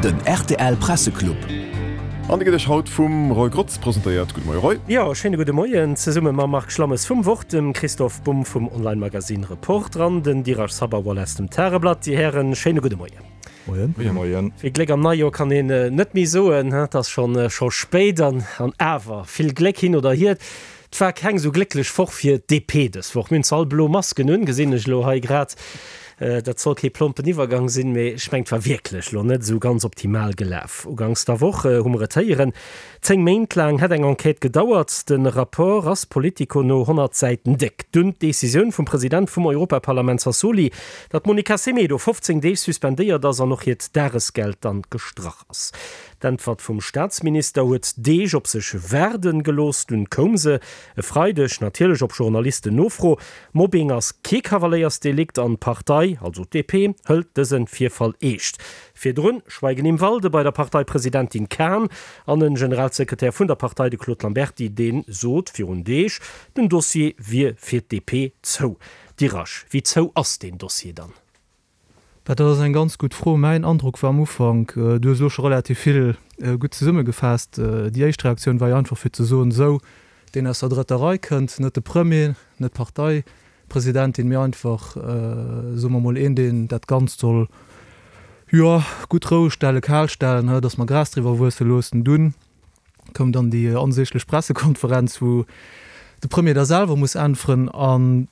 Den rtl Presseclub. An dee gëtt Iech haut vum Roy Grotz presentéiert. Gudde Moie Roy. Jo, schéine gudde Moien zesumme mam Marc Schlammes vum Wort, dem Christoph Bumb vum Online-Magazin Reporter an den Dirac Sabharwal aus dem Tageblatt. Dir Hären, schéine gudde Moien. Moien. Gudde Moien. Vill Gléck am Neijoer kann een net méi soen, et ass schonn scho spéit an awer vill Gléck hin oder hier. Et war keng esou glécklech Woch fir d'DP dës Woch. Mir hunn zwar all blo Masken un, gesinn ech elo hei grad. Dat soll kee plompen Iwwergang sinn, mee ech mengen, et war wierklech elo net esou ganz optimal gelaf. Uganks der Woch hu mer et héieren, 10 Méint laang hätt eng Enquête gedauert. De Rapport ass Politico no 100 Säiten déck. Dunn d'Decisioun vum President vum Europaparlament Sassoli, datt d'Monica Semedo 15 Deeg suspendéiert ass an och hiert Dagesgeld dann gestrach ass. D'Äntwert vum Staatsminister huet Deeg op sech waarden gelooss. Dunn koum se e Freideg, natierlech op Journalisten-Nofro. Mobbing ass kee Kavaléiersdelikt an d'Partei, also d'DP, hëlt dëse Virfall eescht. Virdrun Schweigen im Walde bei der Parteipresidentin Kahn an den Generalsekretär vun der Partei, de Claude Lamberty, dee sot virun Deeg, den Dossier wier fir d'DP zou. Dirasch, wéi zou ass deen Dossier dann? Dat ass eng ganz gutt Fro. Mäin Androck war am Ufank, du hues elo scho relativ vill gutt zesummegefaasst, déi éischt Reaktioun war jo einfach fir ze soen, esou, deen aus der drëtter Rei kënnt, net de Premier, net d'Parteipresidentin, mee einfach, soe mer emol, een, deen dat Ganzt soll, jo, gutt roueg stellen, kal stellen, datt mer Gras driwwer wuesse loossen. Dunn koum dann déi onsäglech Pressekonferenz, wou de Premier da selwer muss äntweren an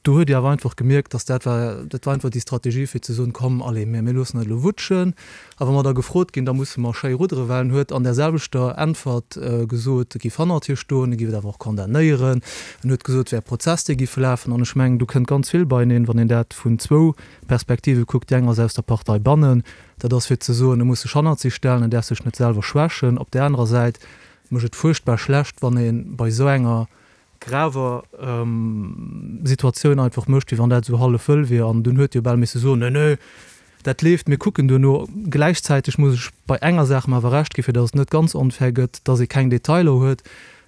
Do huet Dir awer einfach gemierkt, dass dat war, dat war einfach déi Strategie fir ze soen, komm, allez, mir, mir loossen dat elo wutschen. A wa mer da gefrot ginn, da musse mer schéi ruddere, well en huet an där selwechter Äntwert gesot, e géif hannert hir stoen, e géif et awer och condamnéieren. En huet gesot, et wär e Prozess, dee géif lafen. An ech mengen, do kënnt ganz vill beieneen, wann een dat vun zwou Perspektive kuckt. Déi eng ass aus der Partei bannen, dat ass fir ze soen, e muss sech hannert si stellen, en däerf sech net selwer schwächen. Op där anerer Säit mécht et fuerchtbar schlecht, wann ee bei esou enger graver Situatioun einfach mécht, wéi wann dat esou hallef wëll wier. An dunn huet jo bal misse soen, Nee, nee, dat leeft, mir kucken duerno. Gläichzäiteg muss ech bei enger Saach em awer Recht ginn, fir datt et net ganz onfair gëtt, datt ee keng Detailer huet,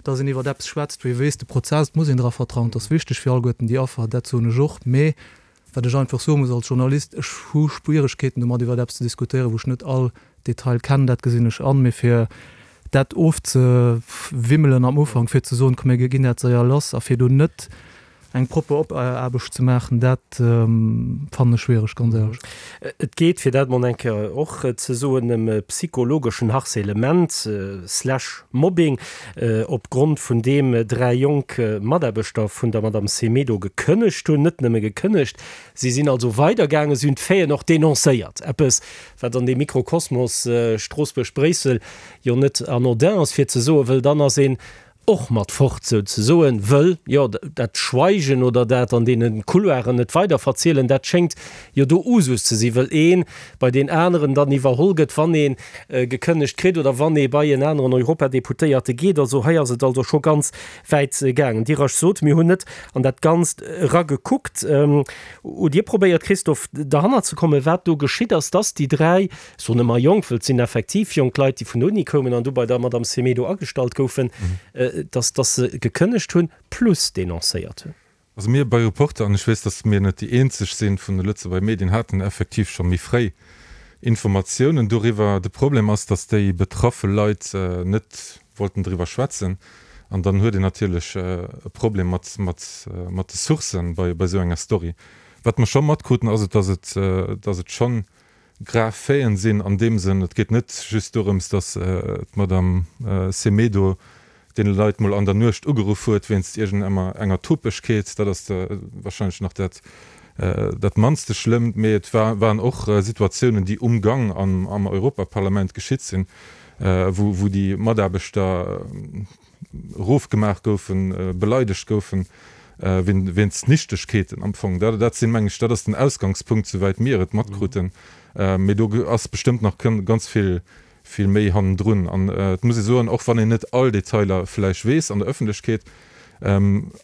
datt een iwwert eppes schwätzt, wou ee weess, de Prozess, et muss een dra vertrauen, et ass wichteg fir alleguerten déi Affer, dat soen ech och. Mee Wat ech einfach soe muss als Journalist, ech hu Schwieregkeeten domat iwwert eppes ze diskutéieren, wou ech net all Detail kennen, dat gesinn ech an. Mee fir dat ofzewimmelen am Ufank, fir ze soen, komm mir ginn dat séier lass a fir do net eng propper Opaarbecht ze maachen, dat fannen ech schwiereg, ganz éierlech. Et geet, fir dat mol eng Kéier och ze soen, ëm psychologeschen Harcèlement slash Mobbing, op Grond vun deem 3 jonk Mataarbechter vun der Madame Semedo gekënnegt hunn. Net nëmme gekënnegt, si sinn also weidergaangen, si hunn d'Faiten och denoncéiert. Eppes, wat an deem Mikrokosmos Stroossbuerg-Bréissel jo net anodin ass, fir ze soen, wëll dann ass een och mat fort souzesoen, wëll jo dat Schweigen oder dat an deene Couloiren net weiderverzielen, dat schéngt jo do Usus ze sinn, wëll ee bei deen aneren dann iwwerholl gëtt, wann ee gekënnegt kritt oder wann ee bei en aneren Europadeputéierte geet. Also hei ass et also scho ganz wäit gaangen. Dir Rasch sot, mir hunn net an dat Ganzt eragekuckt. Hutt Dir probéiert, Christophe, derhannert ze kommen, wat do geschitt ass, dass déi 3, ech soen ëmmer jonk, wëll et sinn effektiv jonk Leit, déi vun der Uni koumen an du bei der Madame Semedo agestallt goufen, dass dass se gekënnegt hunn plus denoncéiert hunn? Also mir bei Reporter, an ech weess, datt mir net déi eenzeg sinn vun de Lëtzebuerger Medien, haten effektiv scho méi fréi Informatiounen doriwwer. De Problem ass, datt déi betraffe Leit net wollten driwwer schwätzen. An dann huet een natierlech e Problem mat mat de Sourcen bei esou enger Story. Wat mer scho matkruten, ass et, datt et datt et schonn grav Faiten sinn an deem Sënn, et geet net just dorëms, datt d'Madame Semedo deene Leit mol an der Nuecht ugeruff huet wéinst iergend enger Topegkeet, dat ass wahrscheinlech nach dat dat mannste Schlëmmt, mee et waren och Situatiounen, déi um Gang am Europaparlament geschitt sinn, wou déi Mataarbechter erofgemaach goufen, beleidegt goufen, wéinst Nichtegkeeten am Fong. Dat sinn, meng ech, dat ass den Ausgangspunkt, souwäit mir et matkruten. Mee do ass bestëmmt nach ganz vill, vill méi hannendrun. An et muss ee soen, och wann een net all Detailer vläicht weess an der Ëffentlechkeet,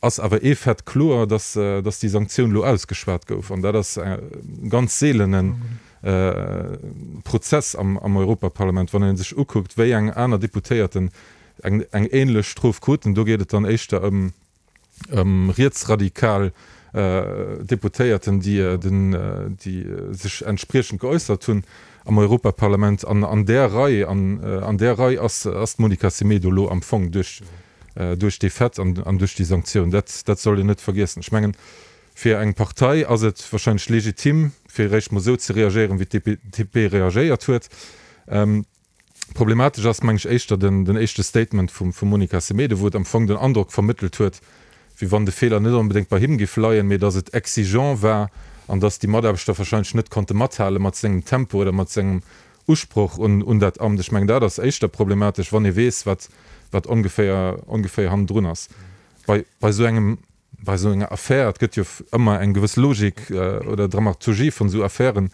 ass awer ee Fait kloer, dass, dass déi Sanktioun elo ausgeschwat gouf. An dat ass e ganz seelene Prozess am Europaparlament, wann ee sech ukuckt, wéi eng aner Deputéierten eng eng ähnlech Strof kruten. Do geet et dann éischter ëm ëm rietsradikal Deputéierten, déi den déi sech entspriechend geäussert hunn. Am Europaparlament. An an där Rei, an an där Rei ass ass d'Monica Semedo elo am Fong duerch duerch dee Fait an an duerch déi Sanktioun. Dat dat soll een net vergiessen. Ech mengen, fir eng Partei ass et wahrscheinlech legitim, fir eréischt mol esou ze reagéieren, wéi d'DP reagéiert huet. Problematesch ass, meng ech, éischter den den éischte Statement vum vum Monica Semedo, wou et am Fong den Androck vermëttelt huet, wéi wann de Feeler net onbedéngt bei him giff leien, mee datt et exigent war an datt déi Mataarbechter wahrscheinlech net konnte mathale mat sengem Tempo oder mat sengem Usproch un un dat Amt. Ech mengen, dat ass éischter problematesch, wann ee weess, wat wat ongeféier ongeféier hannendrun ass bei bei esou engem Bei esou enger Affär, et gëtt jo ëmmer eng gewëss Logik oder Dramaturgie vun esou Affären,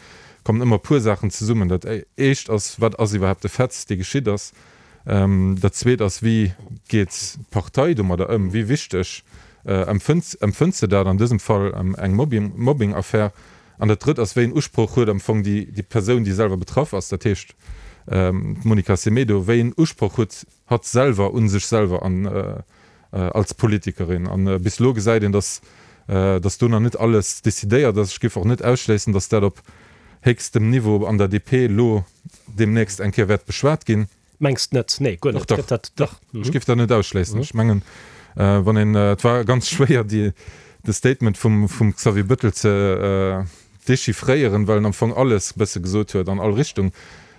kommen ëmmer e puer Saachen zesummen. Dat éischt ass, wat ass iwwerhaapt de Fait, dee geschitt ass? Dat zweet ass, wéi geet d'Partei domadder ëm? Wéi wichteg empfënnt empfënnt se dat, an dësem Fall eng Mobbing Mobbing-Affär? An dat drëtt ass, wéi een Usproch huet am Fong déi déi Persoun, déi selwer betraff ass, dat heescht d'Monica Semedo, wéi een Usproch huet hatt selwer u sech selwer an als Politikerin. An bis elo gesäit een, dass dass do nach net alles decidéiert ass. Ech géif och net ausschléissen, dass dat op héchstem Niveau an der DP elo deemnächst eng Kéier wäert beschwat ginn. Mengs net? Nee, guer net. Dach, dach, dach. Ech géif dat net ausschléissen. Ech mengen, wann een, et war ganz schwéier, déi, de Statement vum vum Xavier Bettel ze dechiffréieren, well en am Fong alles e bësse gesot huet an all Richtung.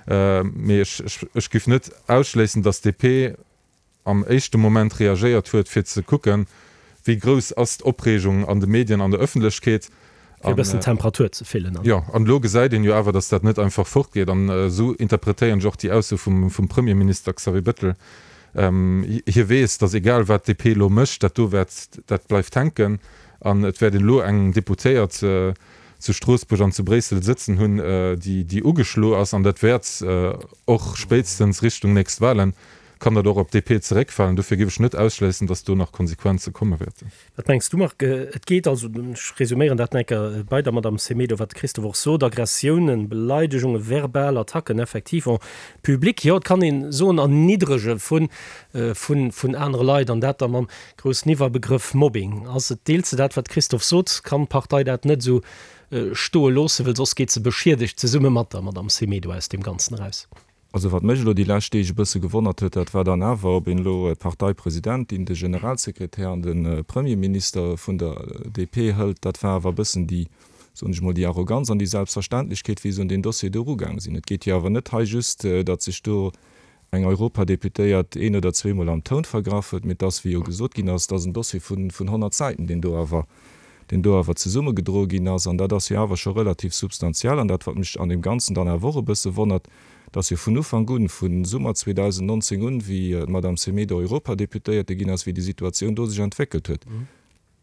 Mee ech ech ech géif net ausschléissen, dass d'DP am éischte Moment reagéiert huet, fir ze kucken, wéi grouss ass d'Opreegung an de Medien, an der Ëffentlechkeet. Fir e bëssen d'Temperatur ze fillen. Jo, an elo gesäit een jo awer, datt dat net einfach fortgeet. An esou interpretéieren ech och déi Ausso vum Premierminister Xavier Bettel. Hie weess, datt egal wat d'DP elo mécht, dat do wäert, dat bleift hänken. An et wäert een elo eng Deputéiert zu Stroossbuerg an zu Bréissel sëtzen hunn, déi ugeschlo ass. An dat wäert och spéitstens Richtung nächst Wahlen Kann dat och op d'DP zeréckfalen? Dofir géif ech net ausschléissen, datt do nach Konsequenze komme wäerten. Wat mengs du, Marc? Et geet also, ech resuméieren dat nach eng Kéier bei der Madame Semedo, wat de Christophe och sot, Aggressiounen, Beleidegungen, verbal Attacken effektiv en public, jo, et kann ee soen Erniddrege vun, vun, vun anere Leit, an dat da mam groussen Iwwerbegrëff Mobbing. Ass et, deels de dat, wat de Christophe sot? Kann d'Partei dat net esou stoe loossen, well soss geet se beschiedegt zesumme mat der Madame Semedo aus deem Ganzen eraus? Also wat mech elo déi lescht Deeg e bësse gewonnert huet, dat war dann awer, ob een elo d'Parteipresidentin, de Generalsekretär an de Premierminister vun der DP hëlt, dat war awer e bëssen déi, soen ech mol, déi Arroganz an déi Selbstverständlechkeet, wéi se un deen Dossier do erugaang sinn. Et geet jo awer net hei just, datt sech do eng Europadeputéiert een oder zweemol am Toun vergraff huet, mee et ass, wéi jo gesot ginn ass, et ass en Dossier vun 100 Säiten, deen do awer deen do awer zesummegedroe ginn ass, an dat ass jo awer scho relativ substantiell. An dat, wat mech an deem Ganzen dann awer och e bësse wonnert, dass jo vun Ufank un, vu Summer 2019 un, wéi d'Madame Semedo Europadeputéierte ginn ass, wéi déi Situatioun do sech entwéckelt huet,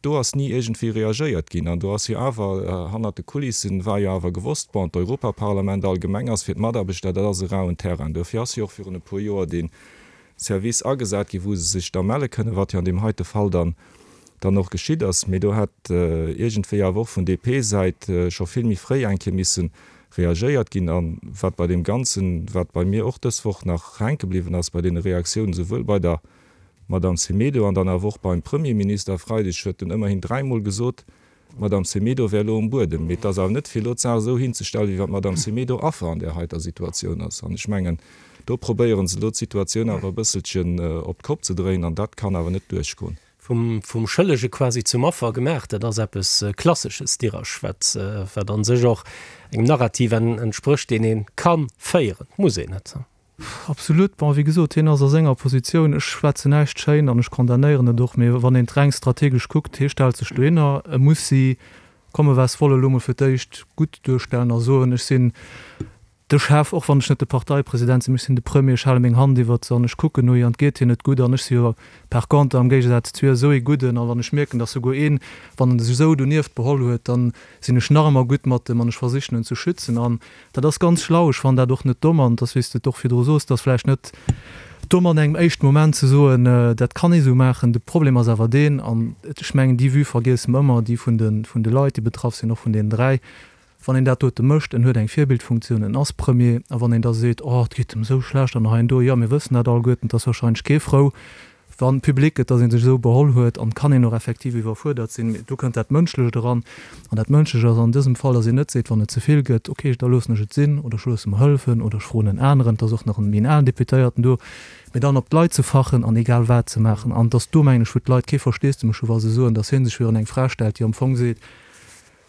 do ass ni iergendwéi reagéiert ginn. An do ass jo awer hannert de Kulissen, war jo awer gewosst, bon, d'Europaparlament allgemeng ass fir d'Mataarbechter, dat ass e rauen Terrain. Dofir ass jo och virun e puer Joer dee Service agesat ginn, wou se sech da melle kënnen, wat jo an deem heite Fall dann dann och geschitt ass. Mee do hätt iergendwéi awer och vun DP-Säit scho vill méi fréi eng Kéier misse reagéiert ginn. A wat bei deem Ganzen, wat bei mir och dës Woch nach hänke bliwwen ass bei deene Reaktiounen, souwuel bei der Madame Semedo an dann awer och beim Premierminister e Freideg, huet en ëmmerhin dräimol gesot, D'Madame Semedo wär elo um Buedem. Mee et ass awer net fir elo d'Saach esou hinzestellen, wéi wann d'Madame Semedo Affer an där heiter Situatioun ass. An ech mengen, do probéiere se elo d'Situatioun awer e bësselchen op d'Kopp ze dréinen, an dat kann awer net duerchgoen. Vum Schëllege quasi zum Affer gemaach, dat ass eppes Klassesches, Dirasch, wat wat a sech och engem Narrativ entsprécht, deen ee ka féieren, muss een net. Absolut. Bon, wéi gesot, hien ass a senger Positioun. Ech schwätzen näischt schéin an ech condamnéieren et och, mee wann een et reng strategesch kuckt, hie stellt sech dohinner, e muss si, komme was wolle, elo mol fir d'éischt gutt duerstellen a soen, ech sinn de Chef, och wann ech net de Parteipresident sinn, mee ech sinn de Premier, ech hale meng Hand iwwert se an ech kucken no hir an et geet hir net gutt an ech si jo par contre am Géigesaz zu hir esou ee Gudden a wann ech mierken, datt souguer een, wann en sech esou donieft beholl huet, dann sinn ech nach ëmmer gutt mat em an ech versichen en ze schützen an dat ass ganz schlau. Ech fannen dat och net domm an et ass, wéi s de et och virdru soos, et ass vläicht net domm an engem éischten Moment ze soen, dat kann ee sou maachen. De Problem ass awer deen, an ech mengen déi Vue vergiesse mer ëmmer, déi vun de vun de Leit déi betraff sinn, och vun deenen 3, wann een dat dote mécht, en huet eng Virbildfunktioun, en ass Premier, a wann een da seet, oh et geet em esou schlecht an hei an do, jo mir wëssen dat alleguerten, et ass wahrscheinlech kee frou. Wann public gëtt, dass ee sech esou beholl huet, an kann een och effektiv iwwerfuerdert sinn. Mee do kënnt dat Mënschlecht eran. An dat Mënschlecht ass an dësem Fall, dass een net seet, wann et ze vill gëtt, okay, da loossen ech et sinn oder ech loosse mer hëllefen oder ech froen en aneren, et ass och nach en méi en alen Deputéierten do, mee dann op d'Leit ze fachen an egal wat ze maachen. An et ass do, mengen ech, wou d'Leit kee Versteesdemech hu wa se soen, dass hie sech virun eng Fra stellt, déi am Fong seet,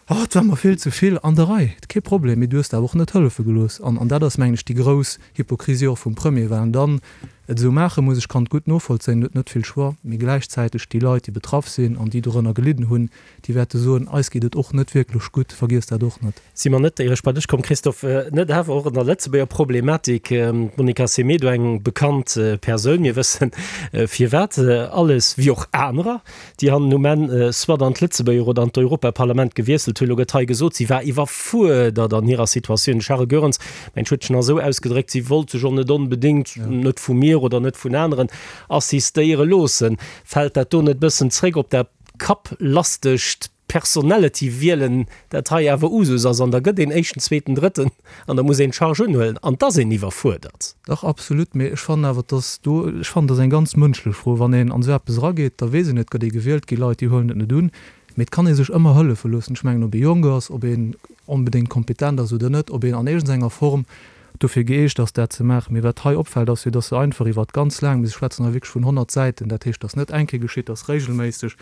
Oh, et war mer vill ze vill. An der Rei, kee Problem, mee du hues der awer och net hëllefe gelooss. An, an dat ass, mengen ech, déi grouss Hypokrisie och vum Premier, well en dann et esou maache muss. Ech kann et gutt novollzéien, en huet net vill Choix, mee gläichzäiteg déi Leit, déi betraff sinn an déi dorënner gelidden hunn, déi wäerte soen, eis geet et och net wierklech gutt. Vergiesst dat och net. Si mer net, éier ech bei dech komm, Christophe, net awer och an der Lëtzebuerger Problematik, d'Monica Semedo, eng bekannt Persoun, mir wëssen firwat alles, wéi och anerer, déi hannen um Enn soit an d'Lëtzebuerger oder an d'Europaparlament gewiesselt hunn. Elo gëtt hei gesot, si war iwwerfuerdert an hirer Situatioun. De Charles Goerens, mengt, huet sech nach esou ausgedréckt, si wollt sech och net onbedéngt, net vu mir oder net vun aneren, assistéiere loossen. Fält dat do net e bëssen zréck op dat kapplastegt Personality-Wielen, dat hei awer Usus ass, an da gëtt een Éischten, Zweeten, Drëtten an da muss een d'Charge unhuelen an 't ass een iwwerfuerdert. Dach, absolut, mee ech fannen awer, dass do, ech fannen, dat ass eng ganz mënschlech Fro, wann een an esou eppes erageet, da weess een, et gëtt ee gewielt, gi Leit, déi huelen et net un, mee et kann ee sech ëmmer hëllefe loossen. Ech mengen, ob ee jonk ass, ob een onbedéngt kompetent ass oder net, ob een an iergendenger Form dofir gëeegt ass dat ze maachen. Mee wat hei opfält ass jo, dass se einfach iwwert ganz laang, mir schwätzen hei wierklech vun 100 Säiten, dat heescht, dass net eng Kéier geschitt, dass regelméisseg,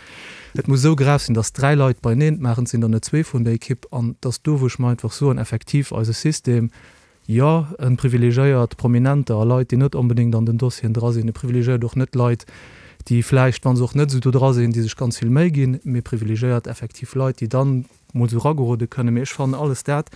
et muss esou grav sinn, dass dräi Leit beieneen et maachen, et sinn der net zwee vun der Ekipp, an dass do, wou ech mer einfach soen, effektiv eise System, jo, e privilegiéiert Prominenter a Leit, déi net onbedéngt an den Dossieren dra sinn, e privilegiéiert och net Leit, déi vläicht, wa se och net esou do dra sinn, déi sech ganz vill Méi ginn, mee privilegiéiert effektiv Leit, déi dann, mol sou ragerode kënnen, mee ech fannen alles dat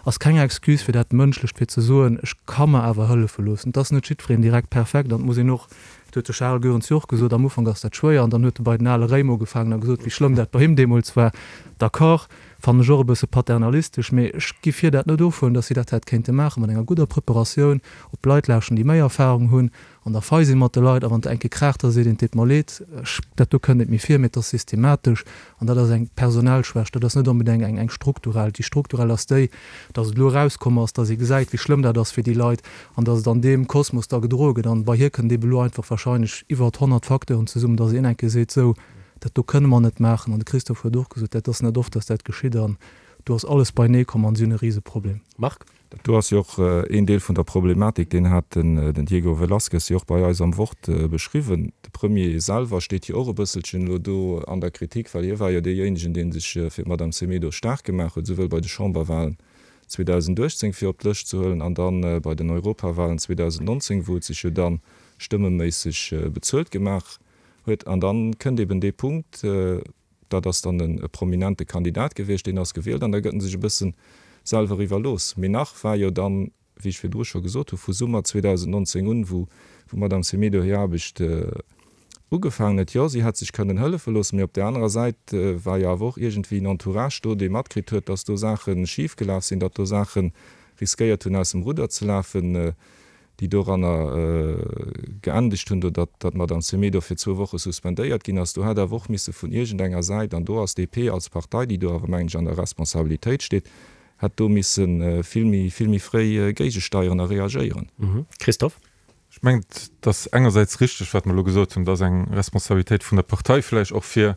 ass keng Excuse fir dat Mënschlecht fir ze soen, ech ka mer awer hëllefe loossen. Et ass net jiddwereen direkt perfekt an et muss een och, dat huet de Charel Goerens jo och gesot, am Ufank ass dat schwéier an dann huet e bei den ale Réim ugefaangen a gesot, wéi schlëmm dat bei him deemools war. D'accord, fannen ech och e bësse paternalistesch, mee ech giff hir dat net ofhuelen, datt si dat hätt kéinte maachen mat enger gudder Preparatioun, op Leit lauschten, déi méi Erfahrung hunn An da fei si mat de Leit, a wann et eng Kéier kraacht, da seet een, et deet mer leed, ech, dat do kënnt net méi vir, mee et ass systematesch an dat ass eng personell Schwächt, dat ass net onbedéngt eng, eng strukturell. Déi strukturell ass déi, datt et elo erauskomm ass, datt ee gesäit, wéi schlëmm dat ass fir déi Leit an datt et an deem Kosmos da gedroe gëtt. An bei hir kënnt eebe elo einfach wahrscheinlech iwwert 100 Facteuren zesummen, datt een eng Kéier seet, sou, dat do kënne mer net maachen. An de Christophe huet och gesot, dat ass net oft, datt dat geschitt an do ass alles beienee komm an si hunn e Riseproblem. Marc? Dat do ass jo och een Deel vun der Problematik, deen hat den Diego Velázquez jo och bei eis am Wort beschriwwen. De Premier selwer steet jo och e bësselchen elo do an der Kritik, well hie war jo deejéinegen, dee sech fir d'Madame Semedo staark gemaach huet, esouwuel bei de Chamberwahlen 2018 fir op d'Lëscht ze huelen an da bei den Europawahlen 2019, wou et sech jo da stëmmeméisseg bezuelt gemaach huet. An da kënnt eben dee Punkt, Dat ass dann e prominente Kandidat gewiescht, deen ass gewielt an da gëtt en sech e bëssen selwer iwwerlooss. Mee nach war jo dann, wéi ech virdru scho gesot hu, vu Summer 2019 un, wou d'Madame Semedo hir Aarbecht ugefaangen huet, jo, si hätt sech kënnen hëllefe loossen, mee op där anerer Säit war jo awer och iergendwéi en Entourage do, dee matkritt huet, datt do Saache schifgelaf sinn, datt do Saache riskéiert hunn aus dem Rudder ze lafen. déi doranner geendegt hunn, do datt d'Madame Semedo fir zwou Woche suspendéiert ginn ass. Do hätt awer och misse vun iergendenger Säit, an do ass d'DP als Partei, déi do awer, mengen ech, an der Responsabilitéit steet, hätt do misse vill méi, vill méi fréi géigesteieren a reagéieren. Christophe. Ech mengen, et ass engersäits richteg, wat mer elo gesot hunn, et ass eng Responsabilitéit vun der Partei vläicht och fir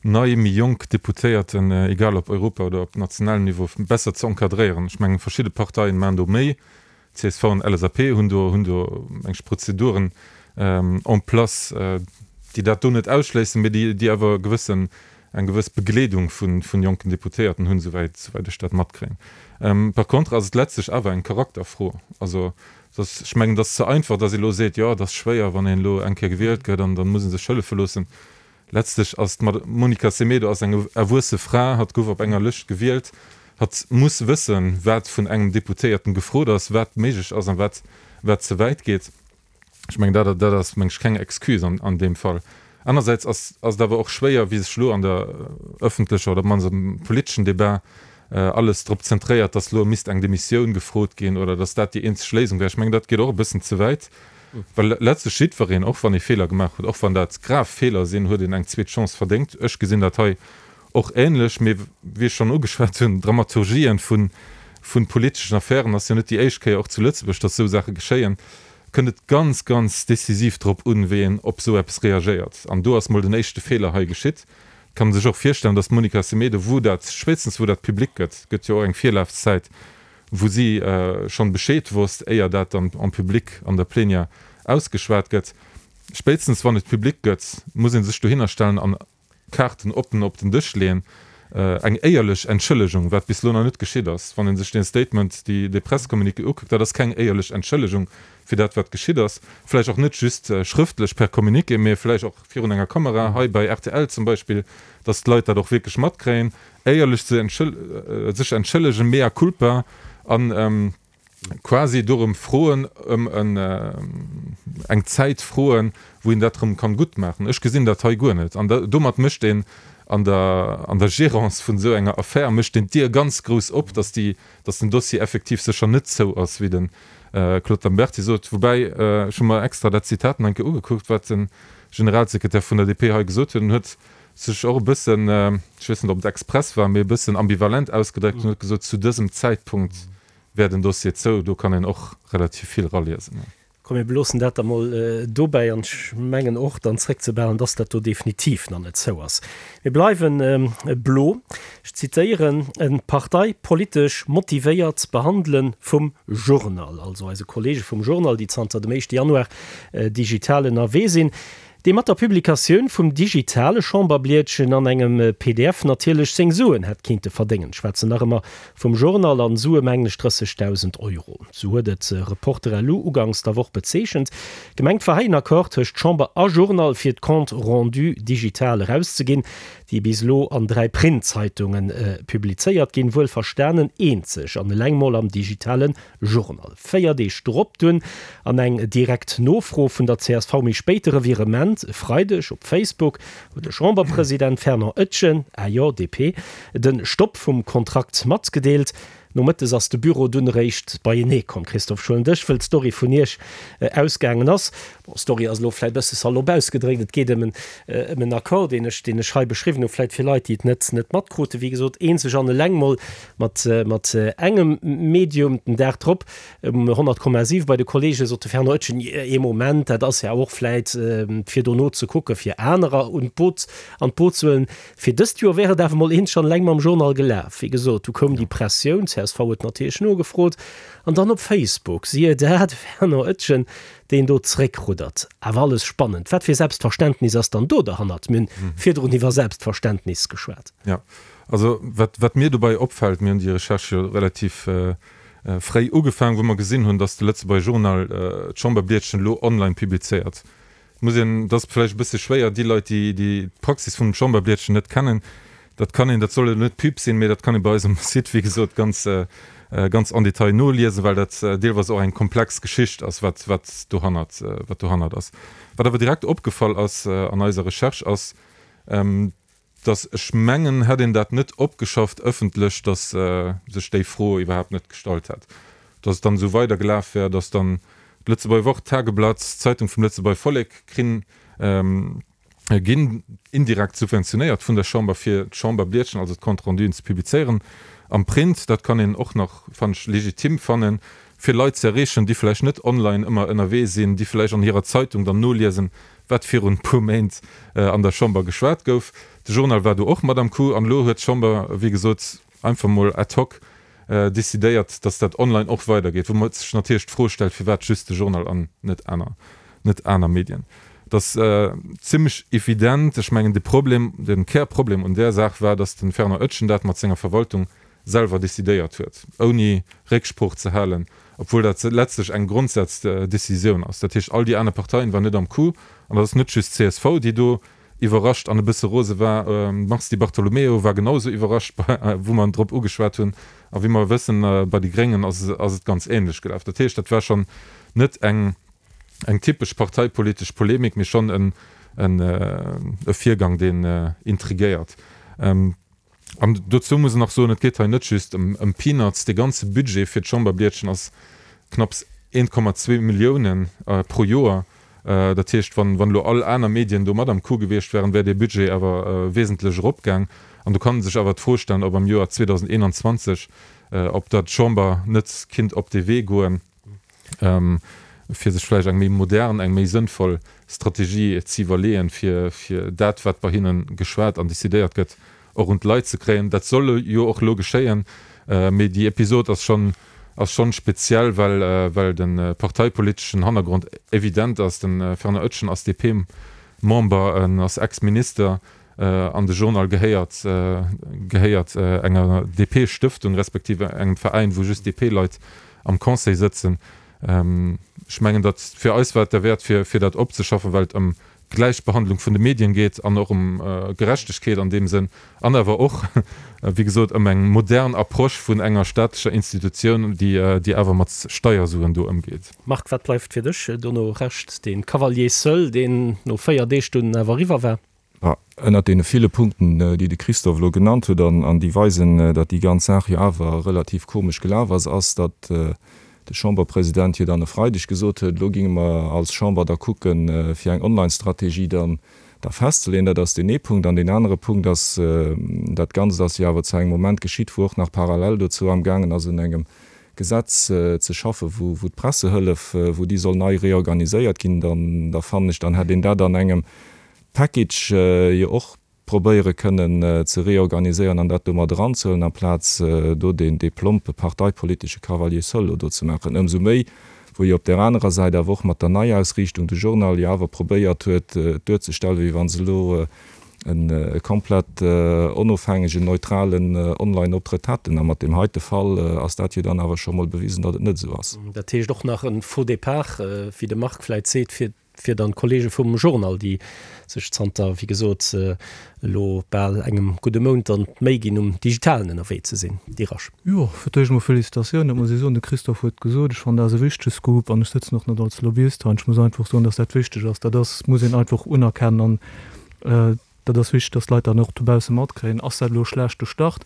nei, méi jonk Deputéierten, egal op Europa oder op nationalem Niveau, besser ze encadréieren. Ech mengen, verschidde Parteien maachen do méi, Csv an LSAP hunn do, hunn do eng Prozeduren en place, déi dat do net ausschléissen, mee déi, déi awer e gewëssen, eng gewëss Begleedung vu, vun jonken Deputéierten hunn, souwäit, souwäit ech dat matkréien. Par contre ass et letztlech awer eng Charakterfro. Also, dass, ech mengen, et ass ze einfach, dass ee elo seet, jo, et ass schwéier, wann een elo eng Kéier gewielt gëtt an da muss ee sech hëllefe loossen. Letztlech ass d'Monica Semedo ass eng erwuesse Fra, hatt gouf op enger Lëscht gewielt, hatt muss wëssen, wat vun engem Deputéierten gefrot ass, wat méiglech ass an wat wat ze wäit geet. Ech mengen, dat dat ass meng ech keng Excuse an an deem Fall. Anersäits ass ass et awer och schwéier, wéi sech elo an der ëffentlecher oder op d'mannst am politeschen Debat alles drop zentréiert, datt elo misst eng Demissioun gefrot ginn oder datt dat déi eenzeg Léisung wär. Ech mengen, dat geet och e bëssen ze wäit. Well letztlech jiddwereen, och wann ee Feeler gemaach huet, och wann dat grav Feeler sinn, huet een eng zweet Chance verdéngt. Ech gesinn dat hei och ähnlech. Mee wéi ech schonn ugeschwat hunn, Dramaturgien vu politeschen Affären ass jo net déi éischt Kéier, och zu Lëtzebuerg, datt esou Saache geschéien. kënnt et ganz, ganz decisiv drop un, wéi een op esou eppes reagéiert. An do ass mol den éischte Feeler hei geschitt. Et kann ee sech och virstellen, datt d'Monica Semedo, wou dat, spéitstens wou dat public gëtt, gëtt jo och eng Virlafzäit, wou si schonn Bescheed wosst, éier dat dann en public an der Plenière ausgeschwat gëtt, spéitstens wann et public gëtt, muss ee sech dohinner stellen an Kaarten oppen op den Dësch leeën, eng éierlech Entschëllegung, wat bis elo nach net geschitt ass. Wann ee sech dee Statement, déi, dee Presscommuniqué ukuckt, dat ass keng éierlech Entschëllegung fir dat, wat geschitt ass. Vläicht och net just schrëftlech per Communiqué, mee vläicht och virun enger Kamera, hei bei rtl zum Beispill, dass d'Leit dat och wierklech matkréien. Éierlech ze sech entschëllegen, mea culpa, an quasi dorëm froen, ëm eng Zäit froen, wou een dat erëm kann gutt maachen. Ech gesinn dat hei guer net. An domat mécht een an der, an der Gérance vun esou enger Affär, mécht een d'Dier ganz grouss op, dass déi, dass den Dossier effektiv sécher net zou ass, wéi de Claude Lamberty sot. Woubäi, ech hu mer extra dat Zitat nach eng Kéier ugekuckt, wat de Generalsekretär vun der DP hei gesot huet. En huet sech och e bëssen, ech weess net, ob et express war, mee e bëssen ambivalent ausgedréckt an huet gesot, zu dësem Zäitpunkt wär den Dossier zou. Do kann een och relativ vill raliesen. Komm, mir beloossen dat da mol dobäi an ech mengen och dann zréckzebehalen, dass dat do definitiv nach net zou ass. Mir bleiwen blo. Ech zitéieren, E parteipolitesch motivéiert Behandele vum Journal, also eise Kollege vum Journal, déi zanter dem éischte Januar digital ënnerwee sinn. Dee mat der Publikatioun vum digitale Chamberblietchen an engem pdf natierlech seng Suen hätt kinnte verdéngen. Schwätzen nach ëmmer vum Journal an Sue mengen ech 30.000 Euro. Sou huet et Reporter.lu ugangs der Woch bezeechent. Gemengt war hei en Accord tëscht Chamber a Journal fir d'Compte rendu digital erauszeginn, déi bis elo an 3 Printzeitungen publizéiert ginn, wuel verstanen eenzeg an eleng mol am digitale Journal. 4 Deeg drop dunn an eng direkt Nofro vun der csv méi spéit de Revirement e Freideg op Facebook, huet de Chamberpresident Fernand Etgen, AJ, DP, de Stopp vum Kontrakt matgedeelt. Nomëttes ass de Büro dunn eréischt beienee komm. Christophe Schuelendësch, wëll d'Story vun Iech ausgaangen ass, bon, Story ass elo vläit bësse salopp ausgedréckt, et geet ëm en Accord, deen ech, deen ech hei beschriwwen hu, vläit fir Leit, déi et net, net matkruten, wéi gesot, eenzeg an eleng mol Mat mat engem Medium. Den Dag drop um 100,7 bei de Kollege sot de Fernand Oetjen, Ee Moment, dat ass ja och vläit fir dono ze kucke fir anerer un d'Boot an d'Boot ze huelen. Fir dëst Joer wär et awer mol eent schonn eleng mam Journal gelaf. Wéi gesot, du koum déi Pressioun, csv huet natierlech nogefrot an dann op Facebook, siehe da, de Fernand Oetjen, deen do zeréckruddert. Awer alles spannend. Wat fir Selbstverständnis ass dann do derhannert? Mir hunn virdrun iwwer Selbstverständnis geschwat. Jo, Also wat, wat mir dobäi opfält, mir hunn déi Recherche jo relativ fréi ugefaangen, wou mer gesinn hunn, datt de Lëtzebuerger Journal d'Chamberblietchen elo online publizéiert. Et muss een, dat ass vläicht e bësse schwéier, déi Leit, déi, déi d'Praxis vum Chamberblietchen net kennen, dat kann een, dat soll elo net Pub sinn, mee dat kann ee bei eis um Site, wéi gesot, ganz, ganz en détail noliesen, well dat deelweis och eng komplex Geschicht ass, wat, wat dohannert, wat dohannert ass. Wat awer direkt opgefall ass an eiser Recherche ass, dass ech mengen, hätt een dat net opgeschafft ëffentlech, dass sech déi Fro iwwerhaapt net gestallt hätt, dass et dann esou weider gelaf wär, dass dann d'Lëtzebuerger Wort, d'Tageblatt, d'Zeitung vum Lëtzebuerger Vollek krinn, ginn indirekt subventionéiert vun der Chamber, fir d'Chamberblietchen, also d'Compte-renduen ze publizéieren am Print. Dat kann een och nach, fannen ech, legitim fannen, fir Leit ze erreechen, déi vläicht net online ëmmer ënnerwee sinn, déi vläicht an hirer Zeitung dann noliesen, wat virun e puer Méint an der Chamber geschwat gouf. De Journal war do och mat am Coup an elo huet d'Chamber, wéi gesot, einfach mol ad hoc decidéiert, datt dat online och weidergeet, wou sech natierlech d'Fro stellt, firwat just de Journal an net aner, net aner Medien. Et ass zimmlech evident, ech mengen de Problem, de Kärproblem un där Saach war, datt de Fernand Oetjen dat mat senger Verwaltung selwer decidéiert huet, ouni Récksprooch ze halen, obwuel dat letztlech eng Grondsaz-Decisioun ass. Dat heescht, all déi aner Parteien waren net am Coup. An dat ass net just csv, déi do iwwerrascht an e bësse rose war. D'Mars Di Bartolomeo war genau esou iwwerrascht, wou mer en drop ugeschwat hunn. A wéi mer wëssen, bei de Gréngen ass et ganz ähnlech gelaf. Dat heescht, dat war schonn net eng typesch parteipolitesch Polemik, mee schonn e Virgang, deen intriguéiert. An dozou muss een nach soen, et geet hei net just ëm Peanuts. Dee ganze Budget fir d'Chamberblietchen ass knapps 1,2 Milliounen pro Joer. Dat heescht, wann elo all aner Medien do mat am Coup gewiescht wären, wär dee Budget awer wesentlech eropgaang. An do kann ee sech awer d'Fro stellen, ob am Joer 2021, ob da d'Chamber net kinnt op dee Wee goen. fir sech vläicht eng méi modern, eng méi sënnvoll Strategie ze iwwerleeën, fir fir dat, wat bei hinne geschwat an decidéiert gëtt, och un d'Leit ze kréien. Dat soll jo och elo geschéien, mee déi Episod ass schonn ass schonn speziell, well well de parteipoliteschen Hannergrond evident ass. De Fernand Oetjen ass DP-Member, en ass Ex-Minister an de Journal gehéiert gehéiert enger DP-Stëftung respektiv engem Veräin, wou just DP-Leit am Conseil sëtzen. Ech mengen, datt fir eis war et derwäert, fir fir dat opzeschaffen, well et ëm Gläichbehandlung vun de Medien geet an och ëm Gerechtegkeet an deem Sënn an awer och, wéi gesot, ëm eng modern Approche vun enger staatlecher Institutioun, déi déi awer mat Steiersuen do ëmgeet. Marc, wat bleift fir dech dono Rescht? Dee Cavalier seul, deen no 4 Deeg dunn awer eriwwer war? Ma ënnert deene ville Punkten, déi de Christophe elo genannt huet an déi weisen, datt déi ganz Saach jo awer relativ komesch gelaf ass, ass, datt de Chamberpresident jo dann e Freideg gesot huet, elo géinge mer als Chamber da kucken, fir eng Online-Strategie dann da festzeleeën. Dat ass deen ee Punkt. An deen anere Punkt ass, dat Ganzt ass jo awer zu engem Moment geschitt, wou och nach parallel dozou amgaangen ass un engem Gesetz ze schaffen, wou d'Pressehëllef, wou déi soll nei reorganiséiert ginn. Dann, da fannen ech, dann hätt een dat an engem Package jo och probéiere kënnen ze reorganiséieren an dat do mat eranzehuelen, amplaz do deen dee plompe parteipolitesche Cavalier seul elo do ze maachen. Ëmsou méi, wou jo op där anerer Säit awer och mat der Neiausriichtung de Journal jo awer probéiert huet, et duerzestellen, wéi wa se elo e komplett onofhängegen, neutralen Online-Optrëtt hätten. A mat deem heite Fall ass dat jo dann awer scho mol bewisen, datt et net esou ass. Dat heescht och nach e Faux départ, wéi de Marc vläicht seet, fir fir dann d'Kollege vum Journal, déi sech zanter, wéi gesot, elo bal engem gudde Mount dann d'Méi ginn, um Digitalen ënnerwee ze sinn. Dirasch. Jo, fir d'éischt emol Felicitatioun, dat muss ee soen. De Christophe huet gesot, ech fannen dat ass e wichtege Scoop an ech sëtzen och net als Lobbyist hei an ech muss einfach soen, dass dat wichteg ass. Dat ass, muss een einfach unerkennen an Dat ass wichteg, dass d'Leit dat och dobausse matkréien. Ass dat elo e schlechte Start?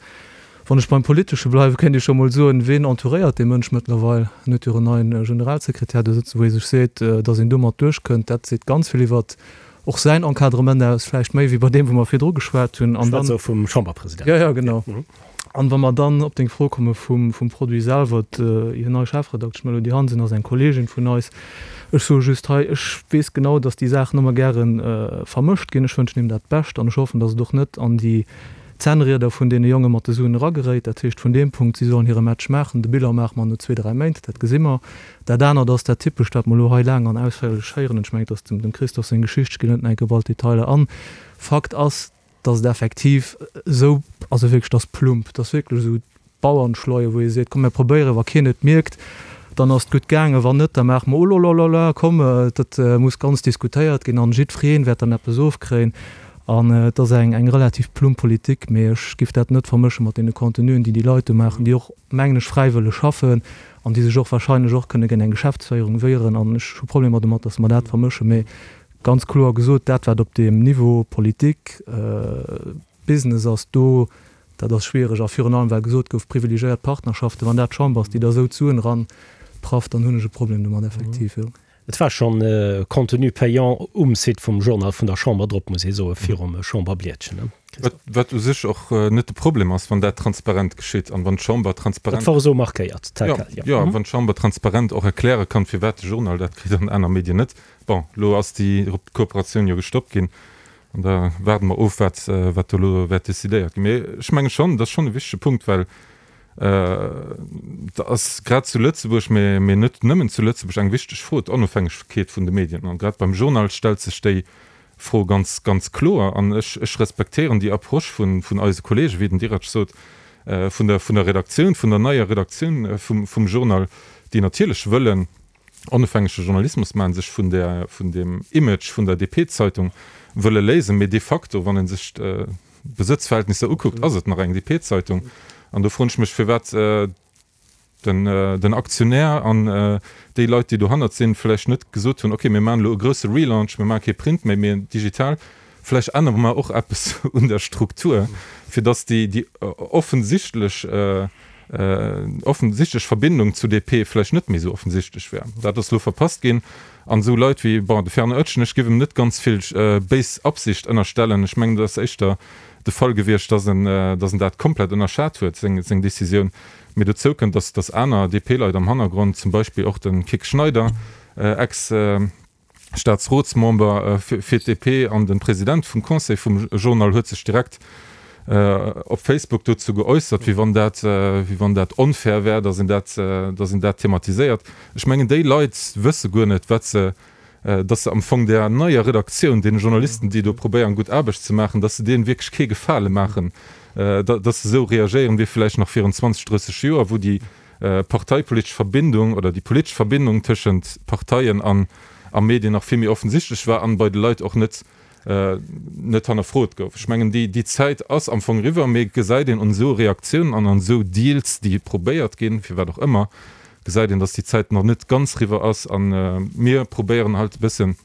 Wann ech beim Politesche bleiwen, kéint ee scho mol soen, Ween entouréiert dee Mënsch mëttlerweil? En huet jo en neien Generalsekretär do sëtzen, wou ee sech seet, dass een domat duerchkënnt. Dat seet ganz vill iwwert och säin Encadrement aus, vläicht méi wéi bei deem, wou mer virdru geschwat hunn. An dann. Schwätze vum Chamberpresident. Jo, jo, genau. An wa mer dann op deng Fro komme vum Produit selwer, hir nei Chefredaktesch Melody Hansen ass eng Kolleegin vun eis. Ech soe just hei, ech weess genau, datt déi Saachen ëmmer gäre vermëscht ginn. Ech wënschen him dat Bescht an ech hoffen, datt et och net an déi Zännrieder vun deene Jonge mat de Suen erageréit. Dat heescht vun deem Punkt, si sollen hire Match maachen. De Bilan maache mer no zwee, dräi Méint, dat gesi mer. Dat anert ass dat Typescht, wat mer elo hei laang an ausféierlech héieren. Ech mengen, et ass dem Christophe seng Geschicht, ech ginn net nach eng Kéier op all d'Detailer an. Fakt ass, dass et effektiv esou, also wierklech, dass plump, dass wierklech esou d'Bauernschleue, wou ee seet, komm mir probéieren, wa keen et mierkt, dann ass et gutt gaangen, wann net, da maache mer olololala, komm, dat muss ganz diskutéiert ginn an jiddweree wäert dann eppes ofkréien. An et ass eng eng relativ plump Politik, mee ech giff dat net vermësche mat deene Contenuen, déi déi Leit do maachen, déi och, mengen ech, fräiwëlleg schaffen an déi sech och wahrscheinlech och kënne géint eng Geschäftsféierung wieren. An ech hu Problemer domat, dass mer dat vermëschen, mee Ganz kloer gesot, dat wat op deem Niveau Politik, Business ass, do, dat ass schwiereg. A virun allem well gesot gouf, privilegiéiert Partnerschaften, wann dat d'Chamber ass, déi da esou d'Suen eranprafft, dann hunn ech e Problem domat effektiv, jo. Et war schonn Contenu payant um Site vum Journal vun der Chamber drop, muss ee soen, virum Chamberblietchen, ne Christophe? Wat u sech och net de Problem ass, wann dat transparent geschitt an wann d'Chamber transparent. Dat war esou markéiert, tel quel, jo. Jo, wann d'Chamber transparent och erkläre kann, firwat de Journal dat kritt an aner Medien net. Bon, elo ass déi Kooperatioun jo gestoppt ginn an da waarde mer of, wat, wat do elo wäert decidéiert ginn. Mee ech menge schonn, dat ass schonn e wichtege Punkt, well et ass grad zu Lëtzebuerg, mee, mee net nëmmen zu Lëtzebuerg, eng wichteg Fro, d'Onofhängegkeet vun de Medien. An grad beim Journal stellt sech déi Fro ganz, ganz kloer. An ech, ech respektéieren déi Approche vun, vun eise Kollegen, wéi den Dirac sot, vun der, vun der Redaktioun, vun der neier Redaktioun vum, vum Journal, déi natierlech wëllen, onofhängege Journalismus maachen, sech vun der, vun dem Image vun der DP-Zeitung wëlle léisen, mee de facto, wann ee sech d'Besëtzverhältnisser ukuckt, ass et nach eng DP-Zeitung. An do froen ech mech, firwat den, den Aktionär an déi Leit, déi dohannert sinn, vläicht net gesot hunn, okay, mir maachen elo e grousse Relaunch, mir maache kee Print méi, mee digital, vläicht ännere mer och eppes un der Struktur, fir datt déi, déi offensichtlech, offensichtlech Verbindung zu DP vläicht net méi esou offensichtlech wär. Dat ass elo verpasst ginn. An esou Leit wéi, bon, de Fernand Oetjen, ech géif em net ganz vill béis Absicht ënnerstellen. Ech mengen, et ass éischter de Fall gewiescht, dass en, dass en dat komplett ënnerschat huet, seng, seng Décisioun. Mee dozou kënnt, dass, dass aner DP-Leit am Hannergrond, zum Beispill och de Kik Schneider. Ex Staatsrotsmember fir d'DP an de President vum Conseil vum Journal huet sech direkt op Facebook dozou geäussert, wéi wann dat, wéi wann dat onfair wär, datt een dat, datt een dat thematiséiert. Ech mengen, déi Leit wësse guer net, wat se, datt se am Fong där neier Redaktioun, deene Journalisten, déi do probéieren, gutt Aarbecht ze maachen, datt se deenen wierklech kee Gefale maachen, datt se esou reagéieren, wéi vläicht nach virun 20, 30 Joer, wou déi parteipolitesch Verbindung oder déi politesch Verbindung tëschent Parteien an a Medien nach vill méi offensichtlech war an bei de Leit och net net hannerfrot gouf. Ech mengen, déi déi Zäit ass am Fong eriwwer, mee gesäit een un esou Reaktiounen an an esou Deals, déi probéiert ginn, firwat och ëmmer, gesäit een, datt déi Zäit nach net ganz eriwwer ass. A mir probéieren halt e bëssen,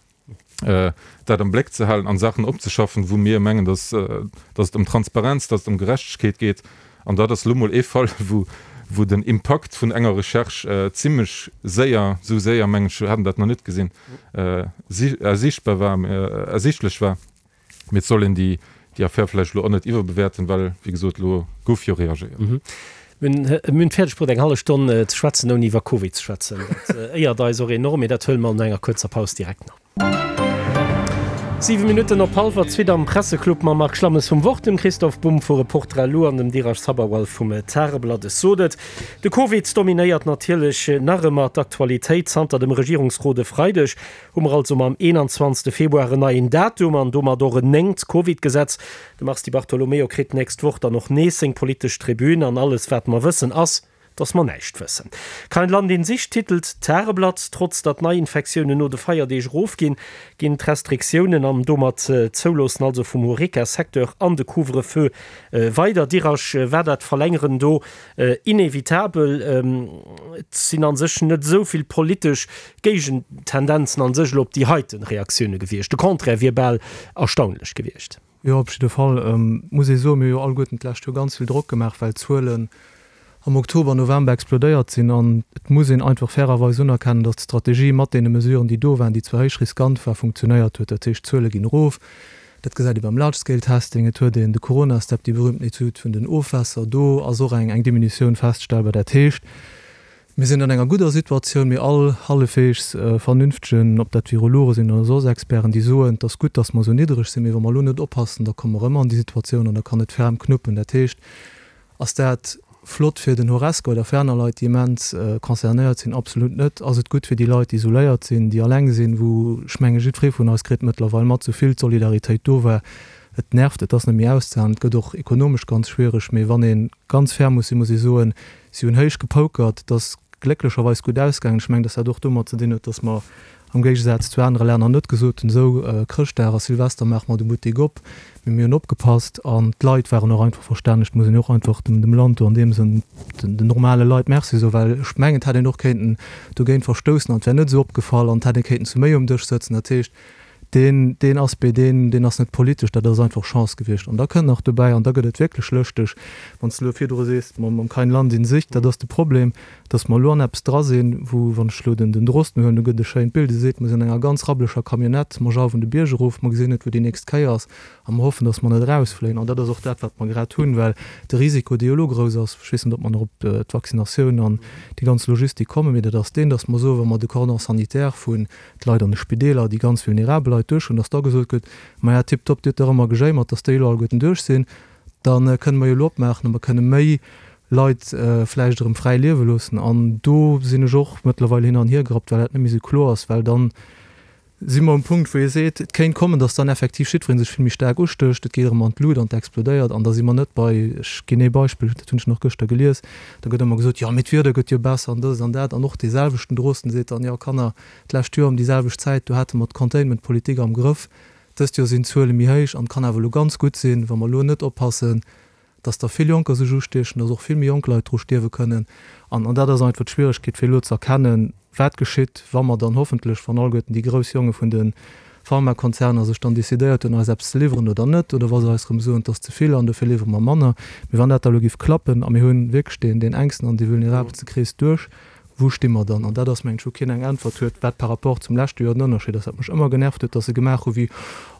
dat am Bléck ze halen an Saachen opzeschaffen, wou mir mengen, dass, dass et ëm Transparenz, dass et ëm Gerechtegkeet geet. An dat ass elo mol ee Fall, wou, wou den Impakt vun enger Recherche zimlech séier, esou séier mengen ech, haten dat nach net gesinn, ersiichtbar war, ersiichtlech war. Mee et soll een déi, déi Affär vläicht elo och net iwwerbewäerten, well, wéi gesot, elo gouf jo reagéiert. Mir hunn et fäerdeg bruet, eng hallef Stonn ze schwätzen, ouni iwwer Covid ze schwätzen. Dat éiert eis och enorm, mee dat huele mer no enger kuerzer Paus direkt no. 7 Minutten op hallwer zweet am Presseclub mam Marc Schlammes vum Wort, dem Christoph Bumb vu Reporter.lu an dem Dheeraj Sabharwal vum Tageblatt. Ech sot et, de Covid dominéiert natierlech nach ëmmer d'Aktualitéit. Zanter dem Regierungsrot e Freideg Hu mer also mam 21 Februar en neien Datum an domat och en néngt Covid-Gesetz. De Mars Di Bartolomeo kritt d'nächst Woch dann och nees seng politesch Tribün an alles wat mer wëssen ass, dass mer näischt wëssen. Kein Land in Sicht titelt d'Tageblatt. Trotz datt d'Neiinfektiounen no de Feierdeeg erofginn, ginn d'Restriktiounen an domat d'Zouloossen also vum Horeca-Secteur an de Couvre-feu weider. Dirasch, war dat Verlängeren do inevitabel? Et sinn a sech net esou vill politesch Géigentendenzen an sech elo op déi heiten Reaktioune gewiescht. De Contraire wier bal erstaunlech gewiescht. Jo, op jidde Fall muss ee soen, mir hu jo alleguerten d'lescht Joer ganz vill Drock gemaach, well d'Zuelen am Oktober, November explodéiert sinn. An et muss een einfach fairerweis unerkennen, datt d'Strategie mat deene Mesuren, déi do waren, déi zwar héich riskant war, funktionéiert huet. Dat heescht, d'Zuele ginn erof. Dat gesäit ee beim Large-Scale-Testing. Et huet een de Corona-Step, déi berühmten Etüd vun den Ofwässer. Do ass och eng Diminutioun feststellbar. Dat heescht, Mir sinn an enger gudder Situatioun, mee all hallefweegs vernünftegen, ob dat Virologe sinn oder soss Experten, déi soen, et ass gutt, datt mer esou niddreg sinn, mee wa mer elo net oppassen, da komme mer erëm an déi Situatioun an da kann et ferm knuppen. Dat heescht, ass dat flott fir den Horesca oder fir aner Leit, déi immens concernéiert sinn? Absolut net. Ass et gutt fir déi Leit, déi isoléiert sinn, déi alleng sinn, wou, ech menge jiddweree vun eis kritt mëttlerweil mat, esou vill d'Solidaritéit do war, et nervt, et ass net méi auszehalen, et gëtt och ekonomesch ganz schwiereg. Mee wann ee ganz fair muss sinn, muss ee soen, Si hunn héich gepokert. Et ass glécklecherweis gutt ausgaangen. Ech mengen, dass dat och domat ze dinn huet, dass mer am Géigesaz zu anere Länner net gesot hunn, esou, Chrëschtdag a Silvester maache mer de Buttek op, mee mir hunn opgepasst an d'Leit waren och einfach verstänneg. Et muss een jo och einfach dem Land do an deem Sënn, den normale Leit Merci soen, well ech mengen, et hätt een och kéinten dogéint verstoussen an et wär net esou opgefall an et hätt ee kéinten zu méi um Dësch sëtzen. Dat heescht, Deen, deen Aspect, deen, deen ass net politesch, dat ass einfach Chance gewiescht. An da kënnt nach dobäi, an da gëtt et wierklech lëschteg, wann s de elo virdru sees, mam, mam Kein Land in Sicht, dat ass de Problem, datt mer elo an eppes dra sinn, wou, wann ech elo den, den Drosten huelen, do gëtt e schéint Bild, e seet, mer sinn an enger ganz rabblecher Camionnette, mer jauwen de Bierg erof, mer gesinn net, wou déi nächst Kéier ass, a mer hoffen, datt mer net erausfléien. An dat ass och dat, wat mer grad hunn, well de Risiko, dee jo elo grouss ass, ech weess net, ob mer nach op d'Vaccinatioun an déi ganz Logistik kommen, mee dat ass deen, datt mer soen, wa mer de Cordon sanitaire vun d'Leit an de Spideeler, déi ganz vulnerabel Leit duerch hunn, dass da gesot gëtt, Maja, tiptop, Dir hutt dach ëmmer gejéimert, dass déi elo alleguerten duerch sinn, da kënne mer jo elo opmaachen a mer kënne méi Leit vläicht erëm fräi liewe loossen. An do sinn ech och mëttlerweil hin an hier gerappt, well dat net méi esou kloer ass, well dann si mer um Punkt, wou ee seet, et kéint kommen, dass dann effektiv jiddweree sech vill méi staark ustécht, et geet erëm an d'Lut an et explodéiert an da si mer net bei, ech ginn ee Beispill, dat hunn ech nach gëschter gelies, da gëtt ëmmer gesot, jo, mee d'Wieder gëtt jo besser an dëst an dat an och dee selwechten Drosten seet dann, jo, Kanner, D'lescht Joer ëm déi selwecht Zäit, do hate mer d'Containment-Politik am Grëff. Dëst Joer sinn d'Zuele méi héich an et kann awer elo ganz gutt sinn, wa mer elo net oppassen, dass der vill Jonker sech ustiechen, dass och vill méi jonk Leit dru stierwe kënnen. An dat ass einfach d'Schwieregkeet, fir elo ze erkennen, wat geschitt, wa mer dann hoffentlech, wann alleguerten déi grouss Jonge vun de Pharmakonzerner sech dann decidéiert hunn, eis eppes ze liwweren oder net, oder wa se eis erëm soen, et ass ze vill an dofir liwwere mer manner. Mee wann dat da elo géif klappen a mir hu wierklech deen enksten an dee vulnerabelste Krees duerch, Wou sti mer dann? An dat ass, mengen ech, wou keen eng Äntwert huet, wat par rapport zum leschte Joer den Ënnerscheed ass. Wat mech ëmmer genervt huet, dass se gemaach hu wéi,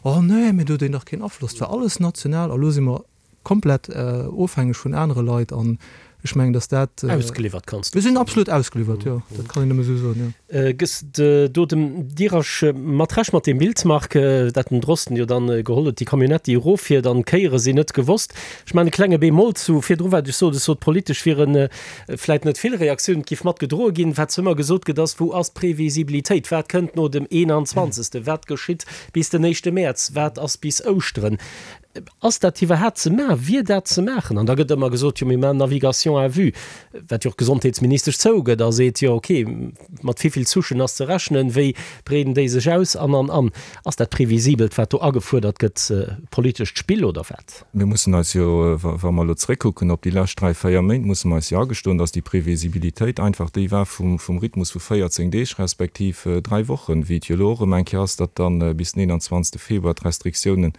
Oh nee, mee do huet een dach keen Afloss, et war alles national a lo si mer komplett ofhängeg vun anere Leit. An. Ech mengen, datt dat. Ausgeliwwert kanns du. Mir sinn absolut ausgeliwwert, jo. Dat kann een nëmme esou soen, jo. Gëss de do dem Dirasch mat Recht mat deem Bild, Marc, dat den Drosten jo dann geholl huet, déi Camionnette, déi eroffiert an d'Kéiere sinn net gewosst. Ech maachen e klenge Bémol zu virdru wat ech sot. Ech sot, politesch wiere vläit net vill Reaktiounen, et giff mat gedroe ginn. Wat ëmmer gesot gëtt, ass, Wou ass d'Previsibilitéit? Wat kënnt no dem 21.? Wat geschitt bis den éischte Mäerz? Wat ass bis Ouschteren? Ass dat iwwerhaapt ze maachen? Wier dat ze maachen? An da gëtt ëmmer gesot, jo mir maachen Navigation à vue, wat jo och d'Gesondheetsministesch zougëtt a seet, jo okay, mat wéivill Souchen ass ze rechnen, wéi breeden déi sech aus an, an, an. Ass dat previsibelt, wat do agefuerdert gëtt, politescht Spill oder wat? Mir mussen eis jo, wa mer elo zréckkucken op déi lescht dräi, véier Méint, musse mer eis jo agestoen, datt déi Previsibilitéit einfach déi war vum Rhythmus vu 14 Deeg respektiv dräi Wochen, wéi et jo elo och erëm eng Kéier ass, datt dann bis den 21. Februar d'Restriktiounen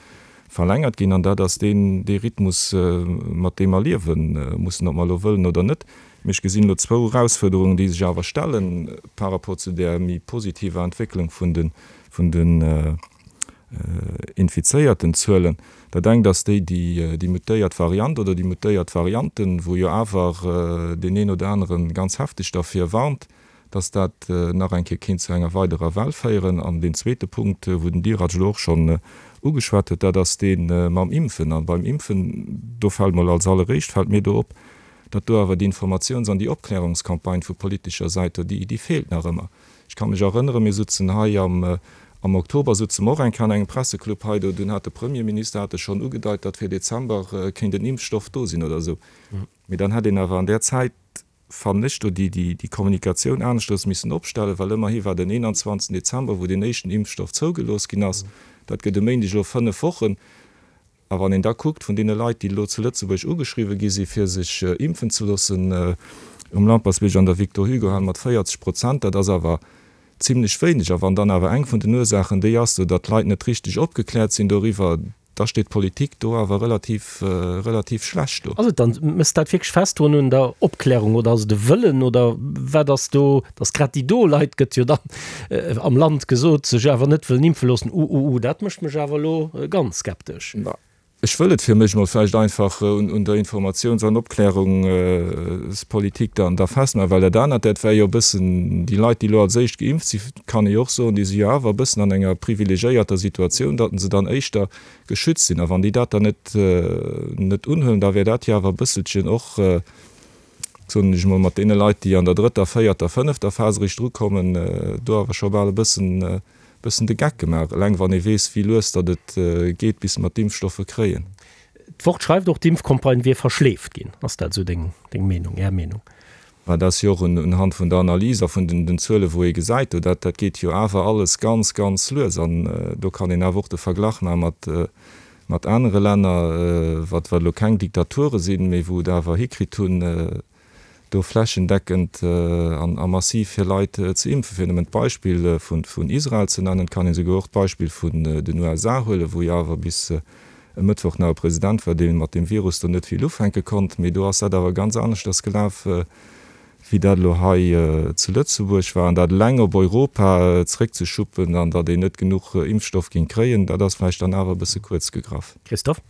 verlängert ginn an dat ass deen dee Rhythmus, mat deem mer liewe mussen, ob mer elo wëllen oder net. Mee ech gesinn elo zwou Erausfuerderungen, déi sech awer stelle par rapport zu där méi positiver Entwécklung vun de vun den infizéierten Zuelen. Dat engt ass déi, déi déi mutéiert Variant oder déi mutéiert Varianten, wou jo awer deen een oder anere ganz hefteg derfir warnt, dass dat nach eng Kéier kéint zu enger weiderer Well féieren. An deen zweete Punkt, wou den Dirac elo och schonn ugeschwat huet, dat ass dee mam Impfen. A beim Impfen, do fält mol als alleréischt fält mir do op, datt do awer déi Informatiouns an déi Opklärungscampagne vu politescher Säit do, déi, déi feelt nach ëmmer. Ech ka mech erënneren, mir sutzen hei am, am Oktober sutze mer och eng Kéier an engem Presseclub hei do, dunn hat de Premierminister hat e schonn ugedeit, datt fir Dezember kéint en Impfstoff do sinn oder esou. Mee dann hätt een awer an där Zäit, fannen ech, do déi Kommunikatioun aneschters missen opstellen, well ëmmerhi war den 21 Dezember, wou deen éischten Impfstoff zougelooss ginn ass, dat gëtt e Méindeg elo 5 Wochen. A wann een da kuckt, vun deene Leit, déi elo zu Lëtzebuerg ugeschriwwe gi si fir sech impfen ze loossen, um Lampertsbierg an der Victor-Hugo-Hal mat 40 Prozent, dat ass awer zimlech wéineg. A wann dann awer eng vun den Ursaachen déi ass, datt d'Leit net richteg opgekläert sinn doriwwer, Da steet d'Politik do awer relativ, relativ schlecht do. Ass et dann, méchs dat wierklech fest drun un der Opklärung oder ass et e Wëllen oder wat ass do, datt grad déi do Leit, gëtt jo dann am Land gesot, sech awer net wëllen impfe loossen? Uh, uh, uh, dat mécht mech awer elo ganz skeptesch. Ech wëll et fir mech mol vläicht einfach un der Informatiouns an Opklärungspolitik dann da festmaachen, well dat anert, dat war jo e bëssen, déi Leit, déi elo als éischt geimpft sinn, kann ee jo och soen, déi si jo awer e bëssen an enger privilegiéierter Situatioun, datt se dann éischter geschützt sinn. A wann déi dat dann net net unhuelen, da wär dat jo awer e bësselchen och, soen ech emol, mat deene Leit, déi an der drëtter, véierter, fënnefter Phas eréischt drukommen, do awer scho bal e bëssen bëssen de Geck gemaach, eleng wann ee weess, wéi lues datt et geet, bis mer d'Impfstoffe kréien. D'Wort schreift och, d'Impfcampagne wier verschleeft ginn. Ass dat esou deng Meenung, Är Meenung? Mä dat ass jo och unhand vun der Analys a vun den Zuele wou ee gesäit, do dat dat geet jo awer alles ganz, ganz lues. An do kann een awer och de Verglach maache mat mat anere Länner, wat wat elo keng Diktature sinn, mee wou et awer hikritt hunn, do flächendeckend a massiv fir Leit ze impfen. Fir nëmmen d'Beispill vun Israel ze nennen, et kann een esouguer och d'Beispill vun den USA huelen, wou jo awer bis e Mëttwoch nach e President war, dee mat deem Virus do net vill ufänke konnt. Mee do ass dat awer ganz aneschters gelaf, wéi dat elo hei zu Lëtzebuerg war. An dat eleng op Europa zréckzeschuppen an datt een net genuch Impfstoff géing kréien, dat ass vläicht dann awer e bësse kuerz gegraff. Christophe?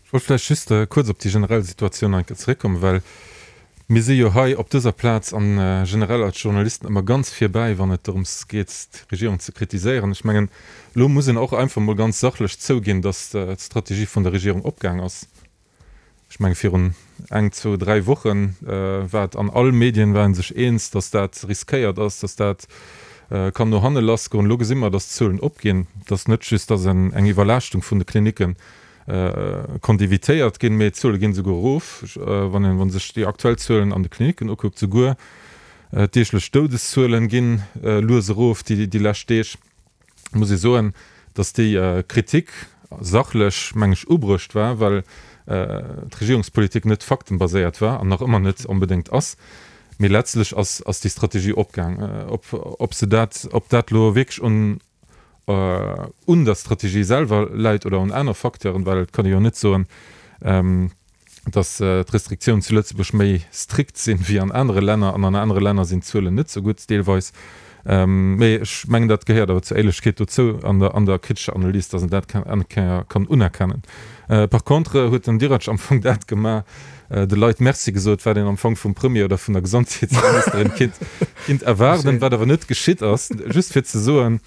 Ech wollt vläicht just kuerz op déi generell Situatioun nach eng Kéier zeréckkommen, well mir si jo hei op dëser Plaz a generell als Journalisten ëmmer ganz virbäi, wann et dorëms geet, d'Regierung ze kritiséieren. Ech mengen, elo muss een och einfach emol ganz sachlech zouginn, datt d'Strategie vun der Regierung opgaang ass. Ech menge virun eng, zwou, dräi Woche war et an all Medien war ee sech eens, datt dat riskéiert ass, datt dat kann no hanne lassgoen. Elo gesi mer, datt d'Zuelen opginn, datt net just datt eng Iwwerlaaschtung vun de Klinicken konnt evitéiert ginn, mee d'Zuele ginn esouguer erof, wann een sech déi aktuell Zuelen an de Klinicken ukuckt. Souguer d'deeglech Doudeszuelen ginn lues erof déi lescht Deeg. Muss ee soen, datt déi Kritik sachlech, meng ech, ubruecht war, well d'Regierungspolitik net faktenbaséiert war an nach ëmmer net onbedéngt ass. Mee letztlech ass déi Strategie opgaang. Ob se dat, ob dat elo wierklech un un der Strategie selwer läit oder un aner Facteuren, well et kann ee jo net soen, datt d'Restriktiounen zu Lëtzebuerg méi strikt sinn wéi an anere Länner an an anere Länner sinn d'Zuelen net sou gutt deelweis. Mee ech mengen, dat gehéiert awer zur Éierlechkeet dozou an der an der kritescher Analys, datt een dat eng Kéier kann unerkennen. Par contre huet den Dirac am Fong dat gemaach, de Leit Merci gesot, wat een am Fong vum Premier oder vun der Gesondheetsministerin kinnt kinnt erwaarden, wat awer net geschitt ass. Just fir ze soen,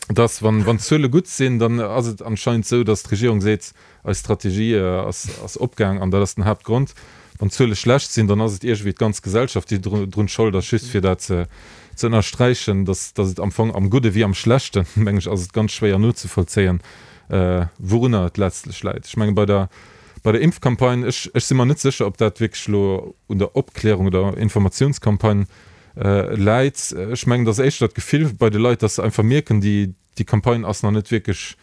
datt wann wann d'Zuele gutt sinn, dann ass et anscheinend esou, datt d'Regierung seet, Eis Strategie ass opgaang an dat ass den Haaptgrond. Wann d'Zuele schlecht sinn, dann ass et iergendwéi d'ganz Gesellschaft, déi drun Schold ass. Just fir dat ze ënnersträichen, dass et am Fong am Gudde wéi am Schlechten, meng ech, ass et ganz schwéier nozevollzéien, wourunner et letztlech läit. Ech menge bei der bei der Impfcampagne, ech ech si mer net sécher, ob dat wierklech elo un der Opklärung oder Informatiounscampagne läit. Ech mengen, et ass éischter d'Gefill bei de Leit, dass se einfach mierken, déi Déi Campagne ass nach net wierklech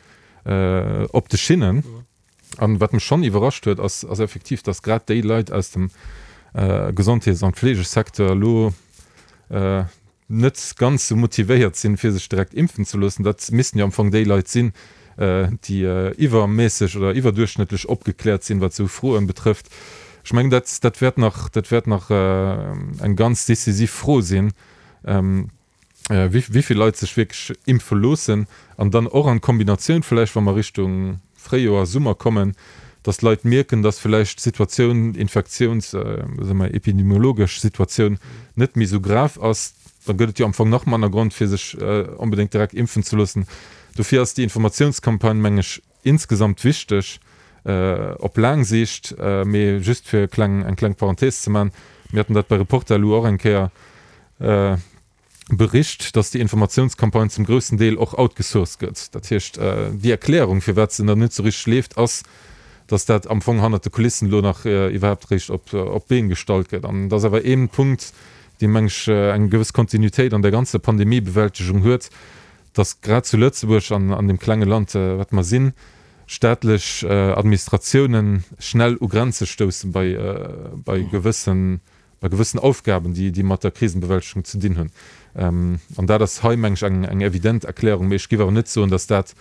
op de Schinnen. An wat mech schonn iwwerrascht huet, ass ass effektiv, datt grad déi Leit aus dem Gesondheets an Fleegesecteur elo net ganz esou motivéiert sinn, fir sech direkt impfen ze loossen. Dat missten jo am Fong déi Leit sinn, déi iwwerméisseg oder iwwerduerchschnëttlech opgekläert sinn, wat esou Froen betrëfft. Ech mengen, dat dat wäert nach dat wäert nach eng ganz decisiv Fro sinn. Wéi vill Leit sech wierklech impfe loossen an dann och an Kombinatioun vläicht, wa mer Richtung Fréijoer, Summer kommen, dass d'Leit mierken, dass vläicht d'Situatioun, d'Infektiouns-, soe mer epidemiologesch Situatioun net méi esou grav ass, da gëtt et jo am Fong nach manner Grond, fir sech onbedéngt direkt impfen ze loossen. Dofir ass déi Informatiounscampagne, meng ech, insgesamt wichteg op laang Siicht. Mee just fir e kleng, eng kleng Parenthese ze maachen, Mir haten dat bei Reporter elo och eng Kéier bericht, dass déi Informatiounscampagne zum groussen Deel och outgesourced gëtt. Dat heescht, déi Erklärung, firwat se nach net esou richteg leeft, ass, dass dat am Fong hannert de Kulissen elo nach iwwerhaapt eréischt op d'Been gestallt gëtt. An et ass awer ee Punkt, dee, meng ech, eng gewëss Kontinuitéit an der ganzer Pandemiebewältegung huet, dass grad zu Lëtzebuerg an an deem klenge Land, wat mer sinn, staatlech Administratiounen schnell u Grenze stousse bei bei gewëssen bei gewëssen Aufgaben, déi déi mat der Krisenbewältegung ze dinn hunn. An dat ass hei, meng ech, eng eng evident Erklärung. Mee ech géif awer net soen, dass dat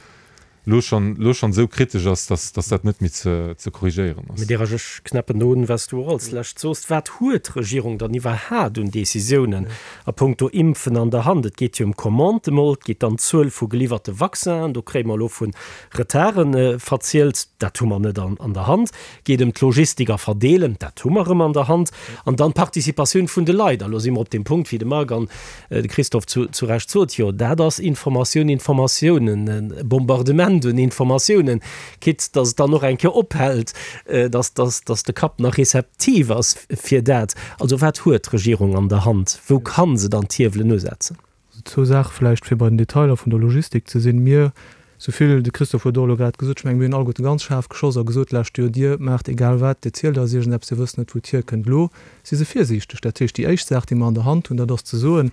lo schonn lo schonn esou kritesch ass, dass dass dat net méi ze ze korrigéieren ass. Mme Derasch, ech knäppen do un, wat s du och als Lescht sooss. Wat huet d'Regierung dann iwwerhaat un Décisiounen a punkto Impfen an der Hand? Et geet jo ëm Commandë mol, et geet dann d'Zuel vu geliwwerte Vaccinen, do kréie mer elo vu Retarde verzielt, dat hu mer net an an der Hand. Geet ëm d'Logistik a Verdeelen, dat hu mer erëm an der Hand. An dann d'Participatioun vun de Leit. A lo si mer op deem Punkt, wéi de Marc an de Christophe zu Recht sot, jo, dat ass Informatioun, Informatiounen, e Bombardement un Informatiounen, quitte dass et dann och eng Kéier ophält, dass, dass, dass de Kapp nach rezeptiv ass fir dat. Also wat huet d'Regierung an der Hand? Wou ka se dann d'Hiewelen usetzen? Zwou Saache vläicht, fir bei den Detailer vun der Logistik ze sinn. Mir, sou vill, de Christophe huet och elo grad gesot, ech mengen, mir hunn alleguerte ganz schaarf geschoss a gesot d'lescht Joer, Dir maacht egal wat, Dir zielt eis iergendeppes, Dir wësst net, wou et hierkënnt. Elo si se virsiichteg. Dat heescht, déi éischt Saach, déi mer an der Hand hunn, dat ass ze soen,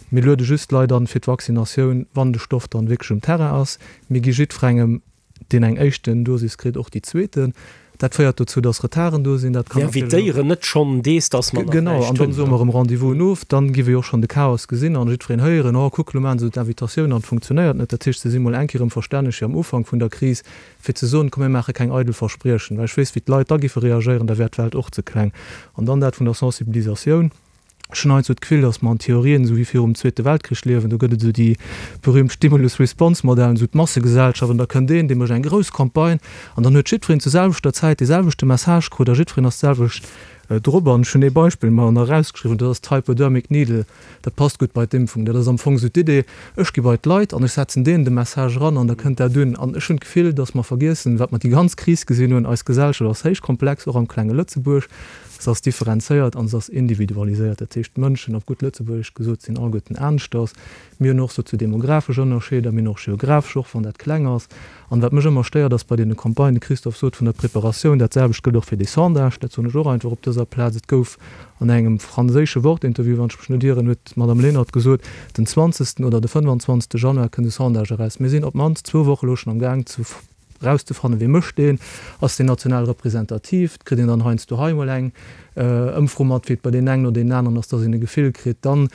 Mir luede just d'Leit an fir d'Vaccinatioun, wann de Stoff dann wierklech um Terrain ass. Mir gi jiddwerengem deen eng éischten Dosis kritt, och déi zweeten. Dat féiert dozou, dass Retarden do sinn. Dat kann Mir natierlech och. invitéieren net schonn dees, dass mer nach Genau, näischt an dann hunn. soe mer erëm Rendez-vous of. Dann gi wir jo och schonn de Chaos gesinn an jiddwereen héieren, Oh, kuck, elo maachen se d'Invitatioun an et funktionéiert net. Dat heescht, se si mol eng Kéier erëm verstänneg fir am Ufank vun der Kris, fir ze soen, Komm, mir maache keng eidel Verspriechen, well ech weess, wéi d'Leit da giffe reagéieren, da wär d'Welt och ze kleng. An dann dat vun der Sensibilisatioun. Ech hunn heiansdo d'Gefill, datt mer an Theorien esou wéi virum Zweete Weltkrich liewen. Do gëtt et esou déi berühmt Stimulus-Response-Modellen, esou d'Massegesellschaft, an da kënnt een, dee mécht eng grouss Campagne an dann huet jiddwereen zur selwechter Zäit dee selwechte Message krut a jiddwereen ass d'selwecht drop. An ech hunn ee Beispill mer nach erausgeschriwwen, dat ass d'Hypodermic Needle. Dat passt gutt bei d'Impfung. Dat ass am Fong esou d'Idee, ech gi bei d'Leit an ech setzen deenen de Message eran an da kënnt dat un. An ech hunn d'Gefill, datt mer vergiessen, wat mer déi ganz Kris gesinn hunn, Eis Gesellschaft ass héich komplex, och am klenge Lëtzebuerg. Se ass differenzéiert an se ass individualiséiert. Dat heescht, d'Mënschen, op gutt Lëtzebuergesch gesot, sinn alleguerten aneschters. Mir hunn och soziodemografesch Ënnerscheeder, mir hunn och geografesch, och wann dat kleng ass. An wat mech ëmmer stéiert, ass bei deene Campagnen, de Christophe sot vun der Preparatioun, dat selwecht gëllt och fir déi Sondage, dat soen ech och einfach op dëser Plaz, et gouf an engem franséische Wort-Interview, wann ech mech net ieren, huet d'Madame Lenert gesot, den 20. oder de 25. Januar kënnt e Sondage eraus. Mir sinn op d'mannst zwou Woche elo schonn am Gaang ze Erauszefannen, wee mécht deen, ass deen national representativ, et kritt een dann heiansdo hei emol eng Ëmfro mat, wéi et bei deenen engen oder deenen aneren ass, dass een e Gefill kritt. Dann.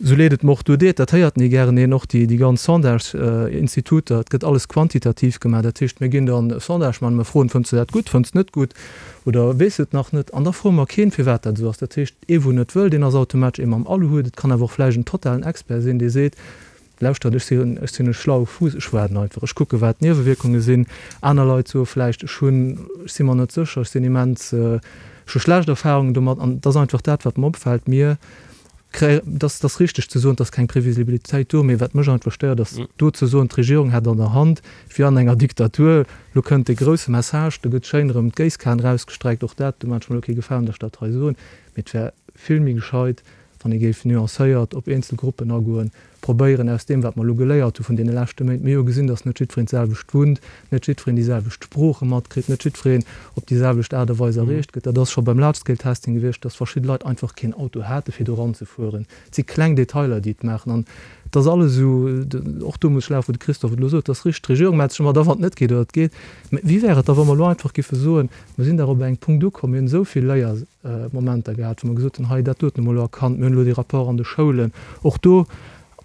Sou leed et mer och do deet, dat héiert ni gären een, och déi ganz Sondage-Instituter, et gëtt alles quantitativ gemaach. Dat heescht, mir ginn dann e Sondage maachen, mir froen, Fënns de dat gutt, fënns de net gutt oder weess et nach net? An da froe mer keen, firwat dat esou ass. Dat heescht, ee wou net wëll, deen ass automatesch ee mam Aluhut. Et kann awer och vläicht en totalen Expert sinn, dee seet, Lauschtert, ech sinn, ech sinn e schlaue Fuuss, ech waarden einfach, ech kucke wat d'Niewewierkunge sinn. Aner Leit soe vläicht, ech hunn, ech si mer net sécher, ech sinn immens, ech hu schlecht Erfahrungen domat. An et ass einfach dat, wat mer opfält, mir kréien, dass ass richteg ze soen, et ass keng Previsibilitéit do, mee wat mech einfach stéiert, ass do ze soen, d'Regierung hätt an der Hand, wéi an enger Diktatur, lo kënnt dee grousse Message, do gëtt schéin erëm d'Géisskan erausgestreckt, och dat, do maache ech mer elo kee Gefalen, datt ech dat hei soen, mee et wär vill méi gescheit, wann ee géif nuancéiert op eenzel Gruppen agoen, probéieren aus deem, wat mer elo geléiert hu vun deene leschte Méint, mir hu jo gesinn, datt net jiddwereen d'selwecht wunnt, net jiddwereen déi selwecht Sprooche matkritt, net jiddwereen op déi selwecht Aart a Weis erreecht gëtt. Dat ass scho beim Large-Scale-Testing gewiescht, datt verschidde Leit einfach keen Auto hate fir do eranzefueren. Et si kleng Detailer, déi et maachen. An et ass alles esou, och do muss ech lafen, wou de Christophe et elo sot, et ass richteg, d'Regierung mellt sech ëmmer da wann et net geet oder et geet. Mä wéi wär et da, wa mer elo einfach géife soen, mer sinn dach op engem Punkt ukomm, mir hunn esou vill Léier, Momenter gehat, wou mer gesot hunn, hei dat doten hu mer elo erkannt, mir hunn elo dee Rapport an de Schoulen. Och do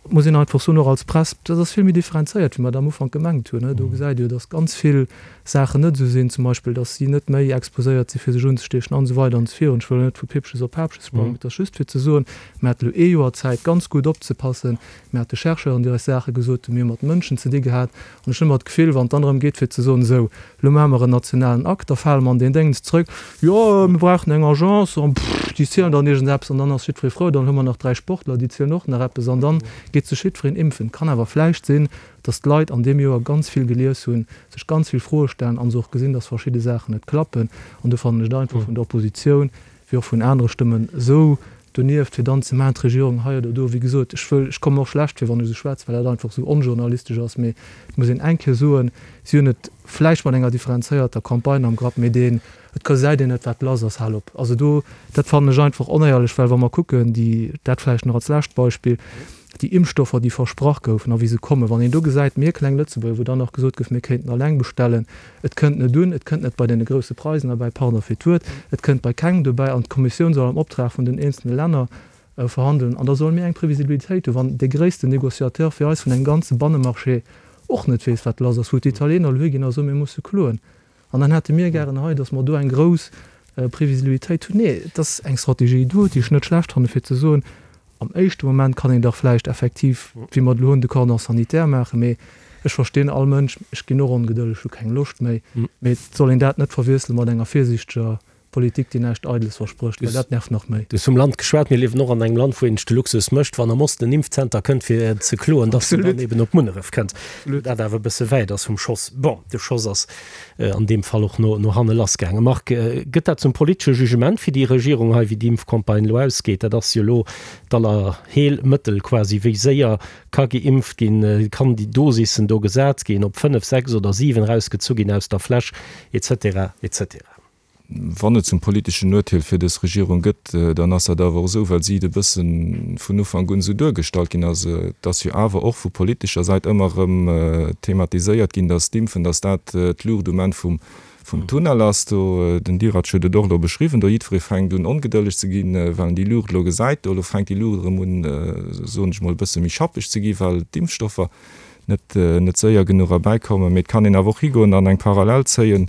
muss een einfach soen, och als Press, dat ass vill méi differenzéiert, wéi mer dat am Ufank gemengt hunn. Do gesäit ee jo, datt ganz vill Saachen net esou sinn, zum Beispill, datt si net méi exposéiert si fir sech unzestiechen an esou weider an esou virun. Ech wëll elo net vu Pippches op Paapches sprangen, mee et ass just fir ze soen, mir hate elo ee Joer Zäit, ganz gutt opzepassen. Mir hate Chercheuren, déi eis Saache gesot hunn, mir hu mat Mënschen ze di gehat. An ech hunn ëmmer d'Gefill, wann et dann drëm geet fir ze soen, esou, elo maache mer en nationalen Akt, da fale mer an deen Déngens zrëck, jo, mir brauchen eng Agence an pff, déi zielen dann iergendeppes an dann ass jiddweree frou, dann hu mer nach 3 Sportler, déi zielen och nach eppes an dann geet sech jiddwereen impfen. Et kann awer vläicht sinn, dass d'Leit an deem Joer ganz vill gelies hunn, sech ganz vill Froe stellen an se och gesinn, dass verschidde Saachen net klappen. An do fannen ech et einfach vun der Oppositioun wéi och vun anere Stëmmen esou donieft, fir dann ze maachen, d'Regierung hei oder do. Wéi gesot, ech wëll, ech komme mer och schlecht vir, wann ech esou schwätzen, well dat einfach esou onjournalistesch ass, mee et muss een eng Kéier soen, si hunn et vläicht mat enger differenzéierter Campagne am Grapp, mee deen, et gesäit een net, wat lass ass, hal op. Also do, dat fannen ech einfach onéierlech, well wa mer kucken, déi, dat vläicht nach als lescht Beispill, déi Impfstoffer, déi versprach goufen a wéi se kommen, wann een do gesäit, mir kleng Lëtzebuerger, wou dann nach gesot gouf, mir kéinten alleng bestellen, et kënnt net un, et kënnt net bei deene grousse Preisen erbäi, pardon fir d'Wuert, et kënnt bei kengem dobäi an d'Kommissioun soll am Optrag vun den eenzelne Länner verhandelen an da solle mir eng Previsibilitéit hunn, wann dee gréissten Négociateur fir eis vun engem ganze Bannemarché och net weess, wat lass ass, wou d'Italiener elo higinn a soen, mir musse kloen. An dann hätte mir gären hei, datt mer do eng grouss Previsibilitéit hunn. Nee, et ass eng Strategie do, déi ech net schlecht fanne fir ze soen, am éischte Moment kann een dach vläicht effektiv, wéi mer et elo hunn, de Cordon sanitaire maachen. Mee ech verstinn all Mënsch, ech ginn och ongedëlleg, hu keng Loscht méi. Mee et soll een dat net verwiessele mat enger virsiichteger Politik, déi näischt Eideles versprécht, well dat nervt nach méi. Du hues vum Land geschwat. Mir liewen och an engem Land, wou een sech de Luxus mécht, wann am Osten en Impfzenter kënnt, fir ze kloen, dass en dann eben op Munneref kënnt. Dat awer e bësse wäit ass vum Schoss. Bon, de Schoss ass an deem Fall och no hanne lassgaangen. Marc, gëtt dat zum politesche Jugement fir déi Regierung hei, wéi déi Impfcampagne elo ausgeet? Dat ass jo elo d'Allerheelmëttel quasi. Wéi séier ka geimpft ginn? Kann déi Dosissen do gesat ginn, ob 5, 6 oder 7 erausgezu ginn aus der Fläsch, et cetera, et cetera? Wann et zum politeschen Urteel fir dës Regierung gëtt, dann ass dat awer och esou, well si et e bësse vun Ufank un esou duergestallt ginn ass. Et ass jo awer och vu politescher Säit ëmmer erëm thematiséiert ginn, datt d'Impfen, datt dat d'Luucht um Enn vum Tunnel ass. Do, den Dirac huet et och elo beschriwwen, do jiddweree fänkt un ongedëlleg ze ginn, well en déi Luucht elo gesäit. Do elo fänkt déi Luucht erëm un, soen ech mol, e bësse méi schappeg ze ginn, well d'Impfstoffer net net séier genuch erbäikommen. Mee et kann een awer och higoen an eng Parallel zéien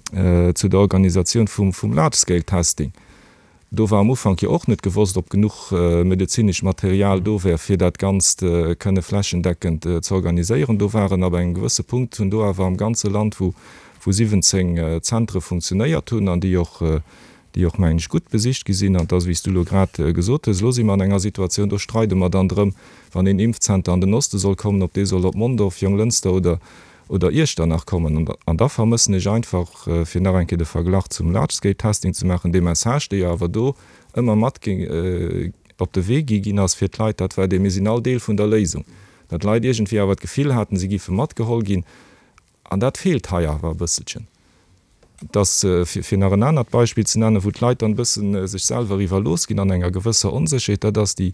zu der Organisatioun vum vum Large Scale Testing. Do war am Ufank jo och net gewosst, ob genuch medezinescht Material do wär, fir dat Ganzt kënne flächendeckend ze organiséieren. Do waren ab engem gewësse Punkt, hunn do awer am ganze Land, wou wou 17 Zentre funktionéiert hunn an déi och déi och, mengen ech, gutt besicht gi sinn. An et ass, wéi s du elo grad gesot hues, elo si mer an enger Situatioun, do streide mer dann drëm, wann een Impfzenter an den Oste soll kommen, ob dee soll op Mondorf, Jonglënster oder, oder Iechternach kommen. An da vermëssen ech einfach, fir nach eng Kéier de Verglach zum Large-Scale-Testing ze maachen, dee Message, dee jo awer do ëmmer mat op de Wee gi ginn ass fir d'Leit, dat war dee, Mir sinn all Deel vun der Léisung. Datt d'Leit iergendwéi awer d'Gefill haten, si géife matgeholl ginn. An dat feelt hei awer e bësselchen. Dass, fir nach en anert Beispill ze nennen, wou d'Leit dann e bësse sech selwer iwwerlooss ginn an enger gewësser Onsécherheet, dat ass déi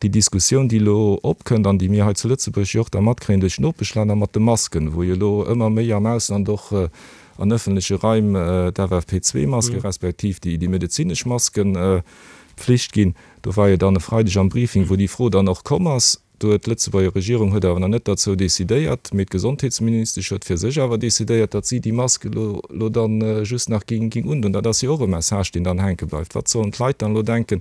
Diskussioun, déi elo opkënnt an déi mir hei zu Lëtzebuerg jo och da matkréien duerch d'Nopeschlänner mat de Masken, wou jo elo ëmmer méi am Ausland och an ëffentleche Raim d'FFP2-Maske respektiv déi medezinesch Masken. Pflicht ginn. Do war jo dann e Freideg am Briefing, wou déi Fro dann och komm ass. Do huet d'Lëtzebuerger Regierung huet awer nach net derzou decidéiert, mee d'Gesondheetsministesch huet fir sech awer decidéiert, datt si déi Mask elo elo dann just nach ging ging undon. Dat ass jo och e Message, deen dann hänke bleift. Wat sollen d'Leit dann elo denken,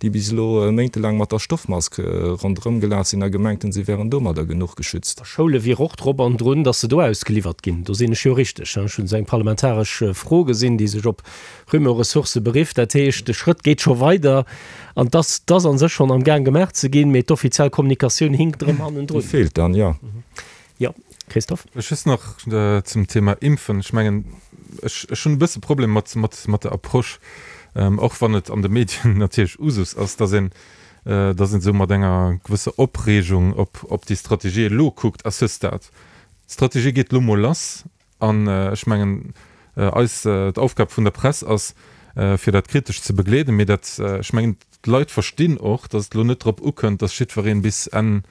déi bis elo méintelaang mat der Stoffmask ronderëm gelaf sinn a gemengt hunn, si wären domadder genuch geschützt? A Schoule wier och drop an drun, datt se do ausgeliwwert ginn. Do sinn ech jo richteg. Ech hunn esou eng parlamentaresch Fro gesinn, déi sech op Rumeur-Ressourcë berifft. Dat heescht, de Schrëtt geet scho weider an et ass, et ass a sech schonn am Gaang gemaach ze ginn, mee d'offiziell Kommunikatioun hinkt erëm hannendrun. Déi feelt dann, jo. Jo, Christophe? Ech just nach zum Thema Impfen. Ech mengen, ech, ech hunn e bësse Problem mat, mat, mat der Approche, och wann et an de Medien natierlech Usus ass, dass een, dass een esou mat enger gewësser Opreegung op, op déi Strategie elo kuckt à ce stade. D'Strategie geet elo mol lass An ech mengen, eis, d'Aufgab vun der Press ass, fir dat kritesch ze begleeden. Mee dat, ech mengen, d'Leit verstinn och, datt et elo net drop ukënnt, datt jiddwereen bis Enn,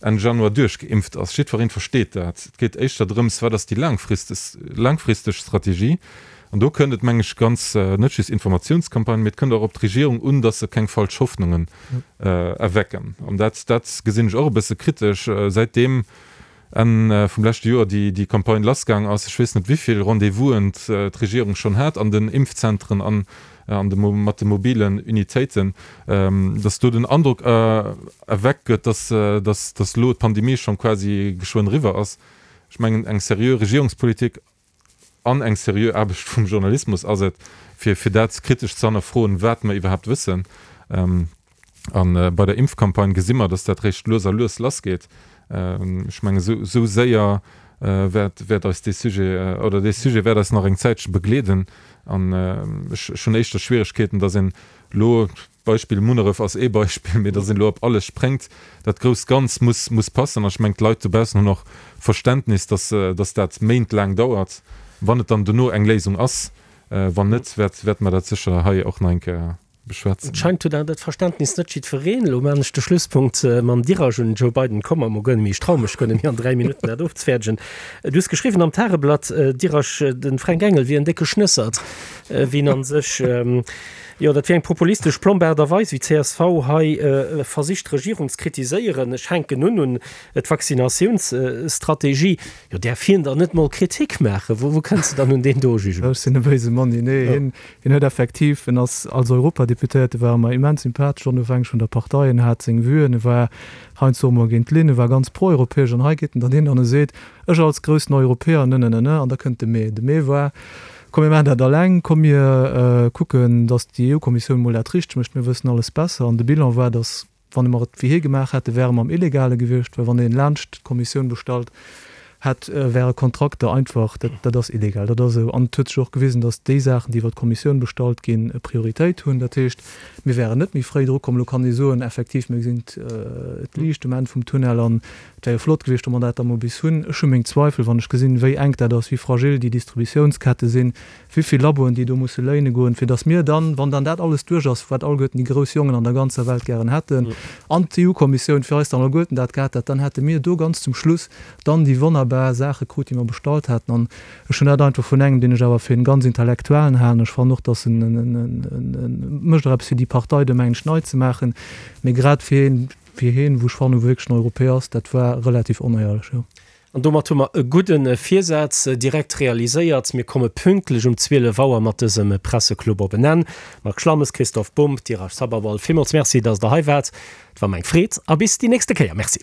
Enn Januar duerchgeimpft ass. Jiddwereen versteet dat. Et geet éischter drëms, wat ass déi laangfristeg Strategie. An do kënnt et, meng ech, ganz, net just Informatiounscampagnen, mee et kënnt och op d'Regierung un, datt se keng falsch Hoffnungen erwecken. An dat, dat gesinn ech och e bësse kritesch, säitdeem Enn vum leschte Joer déi déi Campagne lassgaang ass. Ech weess net wivill Rendez-vousen d'Regierung schonn hat an den Impfzentren an an de mat de mobilen Unitéiten, dass do den Androck erweckt gëtt, dass dass dass elo d'Pandemie schonn quasi geschwënn eriwwer ass. Ech mengen eng seriö Regierungspolitik an eng seriö Aarbecht vum Journalismus ass et, fir fir dat kritesch ze hannerfroen, wat mer iwwerhaapt wëssen. A bei der Impfcampagne gesi mer, datt dat réischt lues a lues lassgeet. Ech mengen, esou esou séier wäert wäert eis dee Sujet oder dee Sujet wäert eis nach eng Zäitche begleeden. An ech ech hunn éischter Schwieregkeeten, datt een elo, Beispill Munneref ass ee Beispill, mee datt een elo op alles spréngt. Dat grousst Ganz muss muss passen. An ech mengen, d'Leit dobaussen hunn och Verständnis, datt datt dat méintlaang dauert, wann et dann dono eng Léisung ass. Wann net, wäert wäerte mer dat sécher hei och nach eng Kéier beschwätzen. Et scheint huet awer dat Verständnis net jiddwereen. Elo maachen ech de Schlusspunkt mam Diraj un den Joe Biden. Komm mer mol guer net méi, ech trau mech guer net méi an 3 Minutten dat ofzefäerdegen. Du hues geschriwwen am Tageblatt, Diraj, de Fränk Engel wier en décke Schnëssert, wien a sech, jo dat wier eng populistesch plomb Aart a Weis wéi csv hei versicht d'Regierung ze kritiséieren. Ech hänken un un d'Vaccinatiounsstrategie. Jo däerf hien dann net mol Kritik maachen? Wou kënns de dann un deen do Jugement? Ech sinn e béise Monni. Nee, hien Hien huet effektiv, en ass als Europadeputéierte war e mer immens sympathesch, onofhängeg vun der Partei, en hat seng Vuen, e war heiansdo och mol géint d'Linn, e war ganz proeuropäesch an hei geet en dann hin an e seet, ech als groussen Europäer, ne, ne, ne, ne, an da kënnt de Mee. De Mee war, komm mir maachen dat alleng, komm mir kucken, datt déi EU-Kommissioun mol dat richteg mécht, mir wëssen alles besser. An de Bilan war, datt Wann mer et wéi hie gemaach hätte, wäre mer am Illegale gewiescht, well wann een laanscht d'Kommissioun bestallt hätt, wäre Kontrakter einfach, dat, dat ass illegal, dat ass esou. An et huet sech och gewisen, datt déi Saachen, déi iwwer d'Kommissioun bestallt ginn, Prioritéit hunn. Dat heescht, mir wären net méi fréi drukomm. Elo kann ee soen, effektiv, mir gesinn d'Liicht um Enn vum Tunnel an et wär jo flott gewiescht, wa mer dat da mol bis hunn. Ech hu meng Zweifel, wann ech gesinn, wéi enk dat ass, wéi fragil déi Distributiounskette sinn, wéi vill Laboen déi do musse léine goen, fir datt mir dann, wann dann dat alles duerch ass, wat alleguerten déi grouss Jongen an der ganzer Welt gären hätten, an d'EU-Kommissioun fir eis dann alleguerten dat gehat hätt, dann hätte mir do ganz zum Schluss dann déi wonnerbar Saache krut, déi mer bestallt haten. An ech hunn dat einfach vun engem, deen ech awer fir en ganz Intellektuellen halen, ech fannen och, datt en, en mécht och eppes fir déi Partei do, mengen ech, nei ze maachen, mee grad fir een, fir hien, wou ech fannen, wou wierklech en Europäer ass, dat war relativ onéierlech, jo. An domat hu mer e gudde Virsaz direkt realiséiert. Mir komme pünktlech um 12 Auer mat dësem Presseclub op en Enn. Marc Schlammes, Christoph Bumb, Dheeraj Sabharwal, villmools Merci, dass Der hei waart. Et war mer eng Freed a bis déi nächste Kéier. Merci.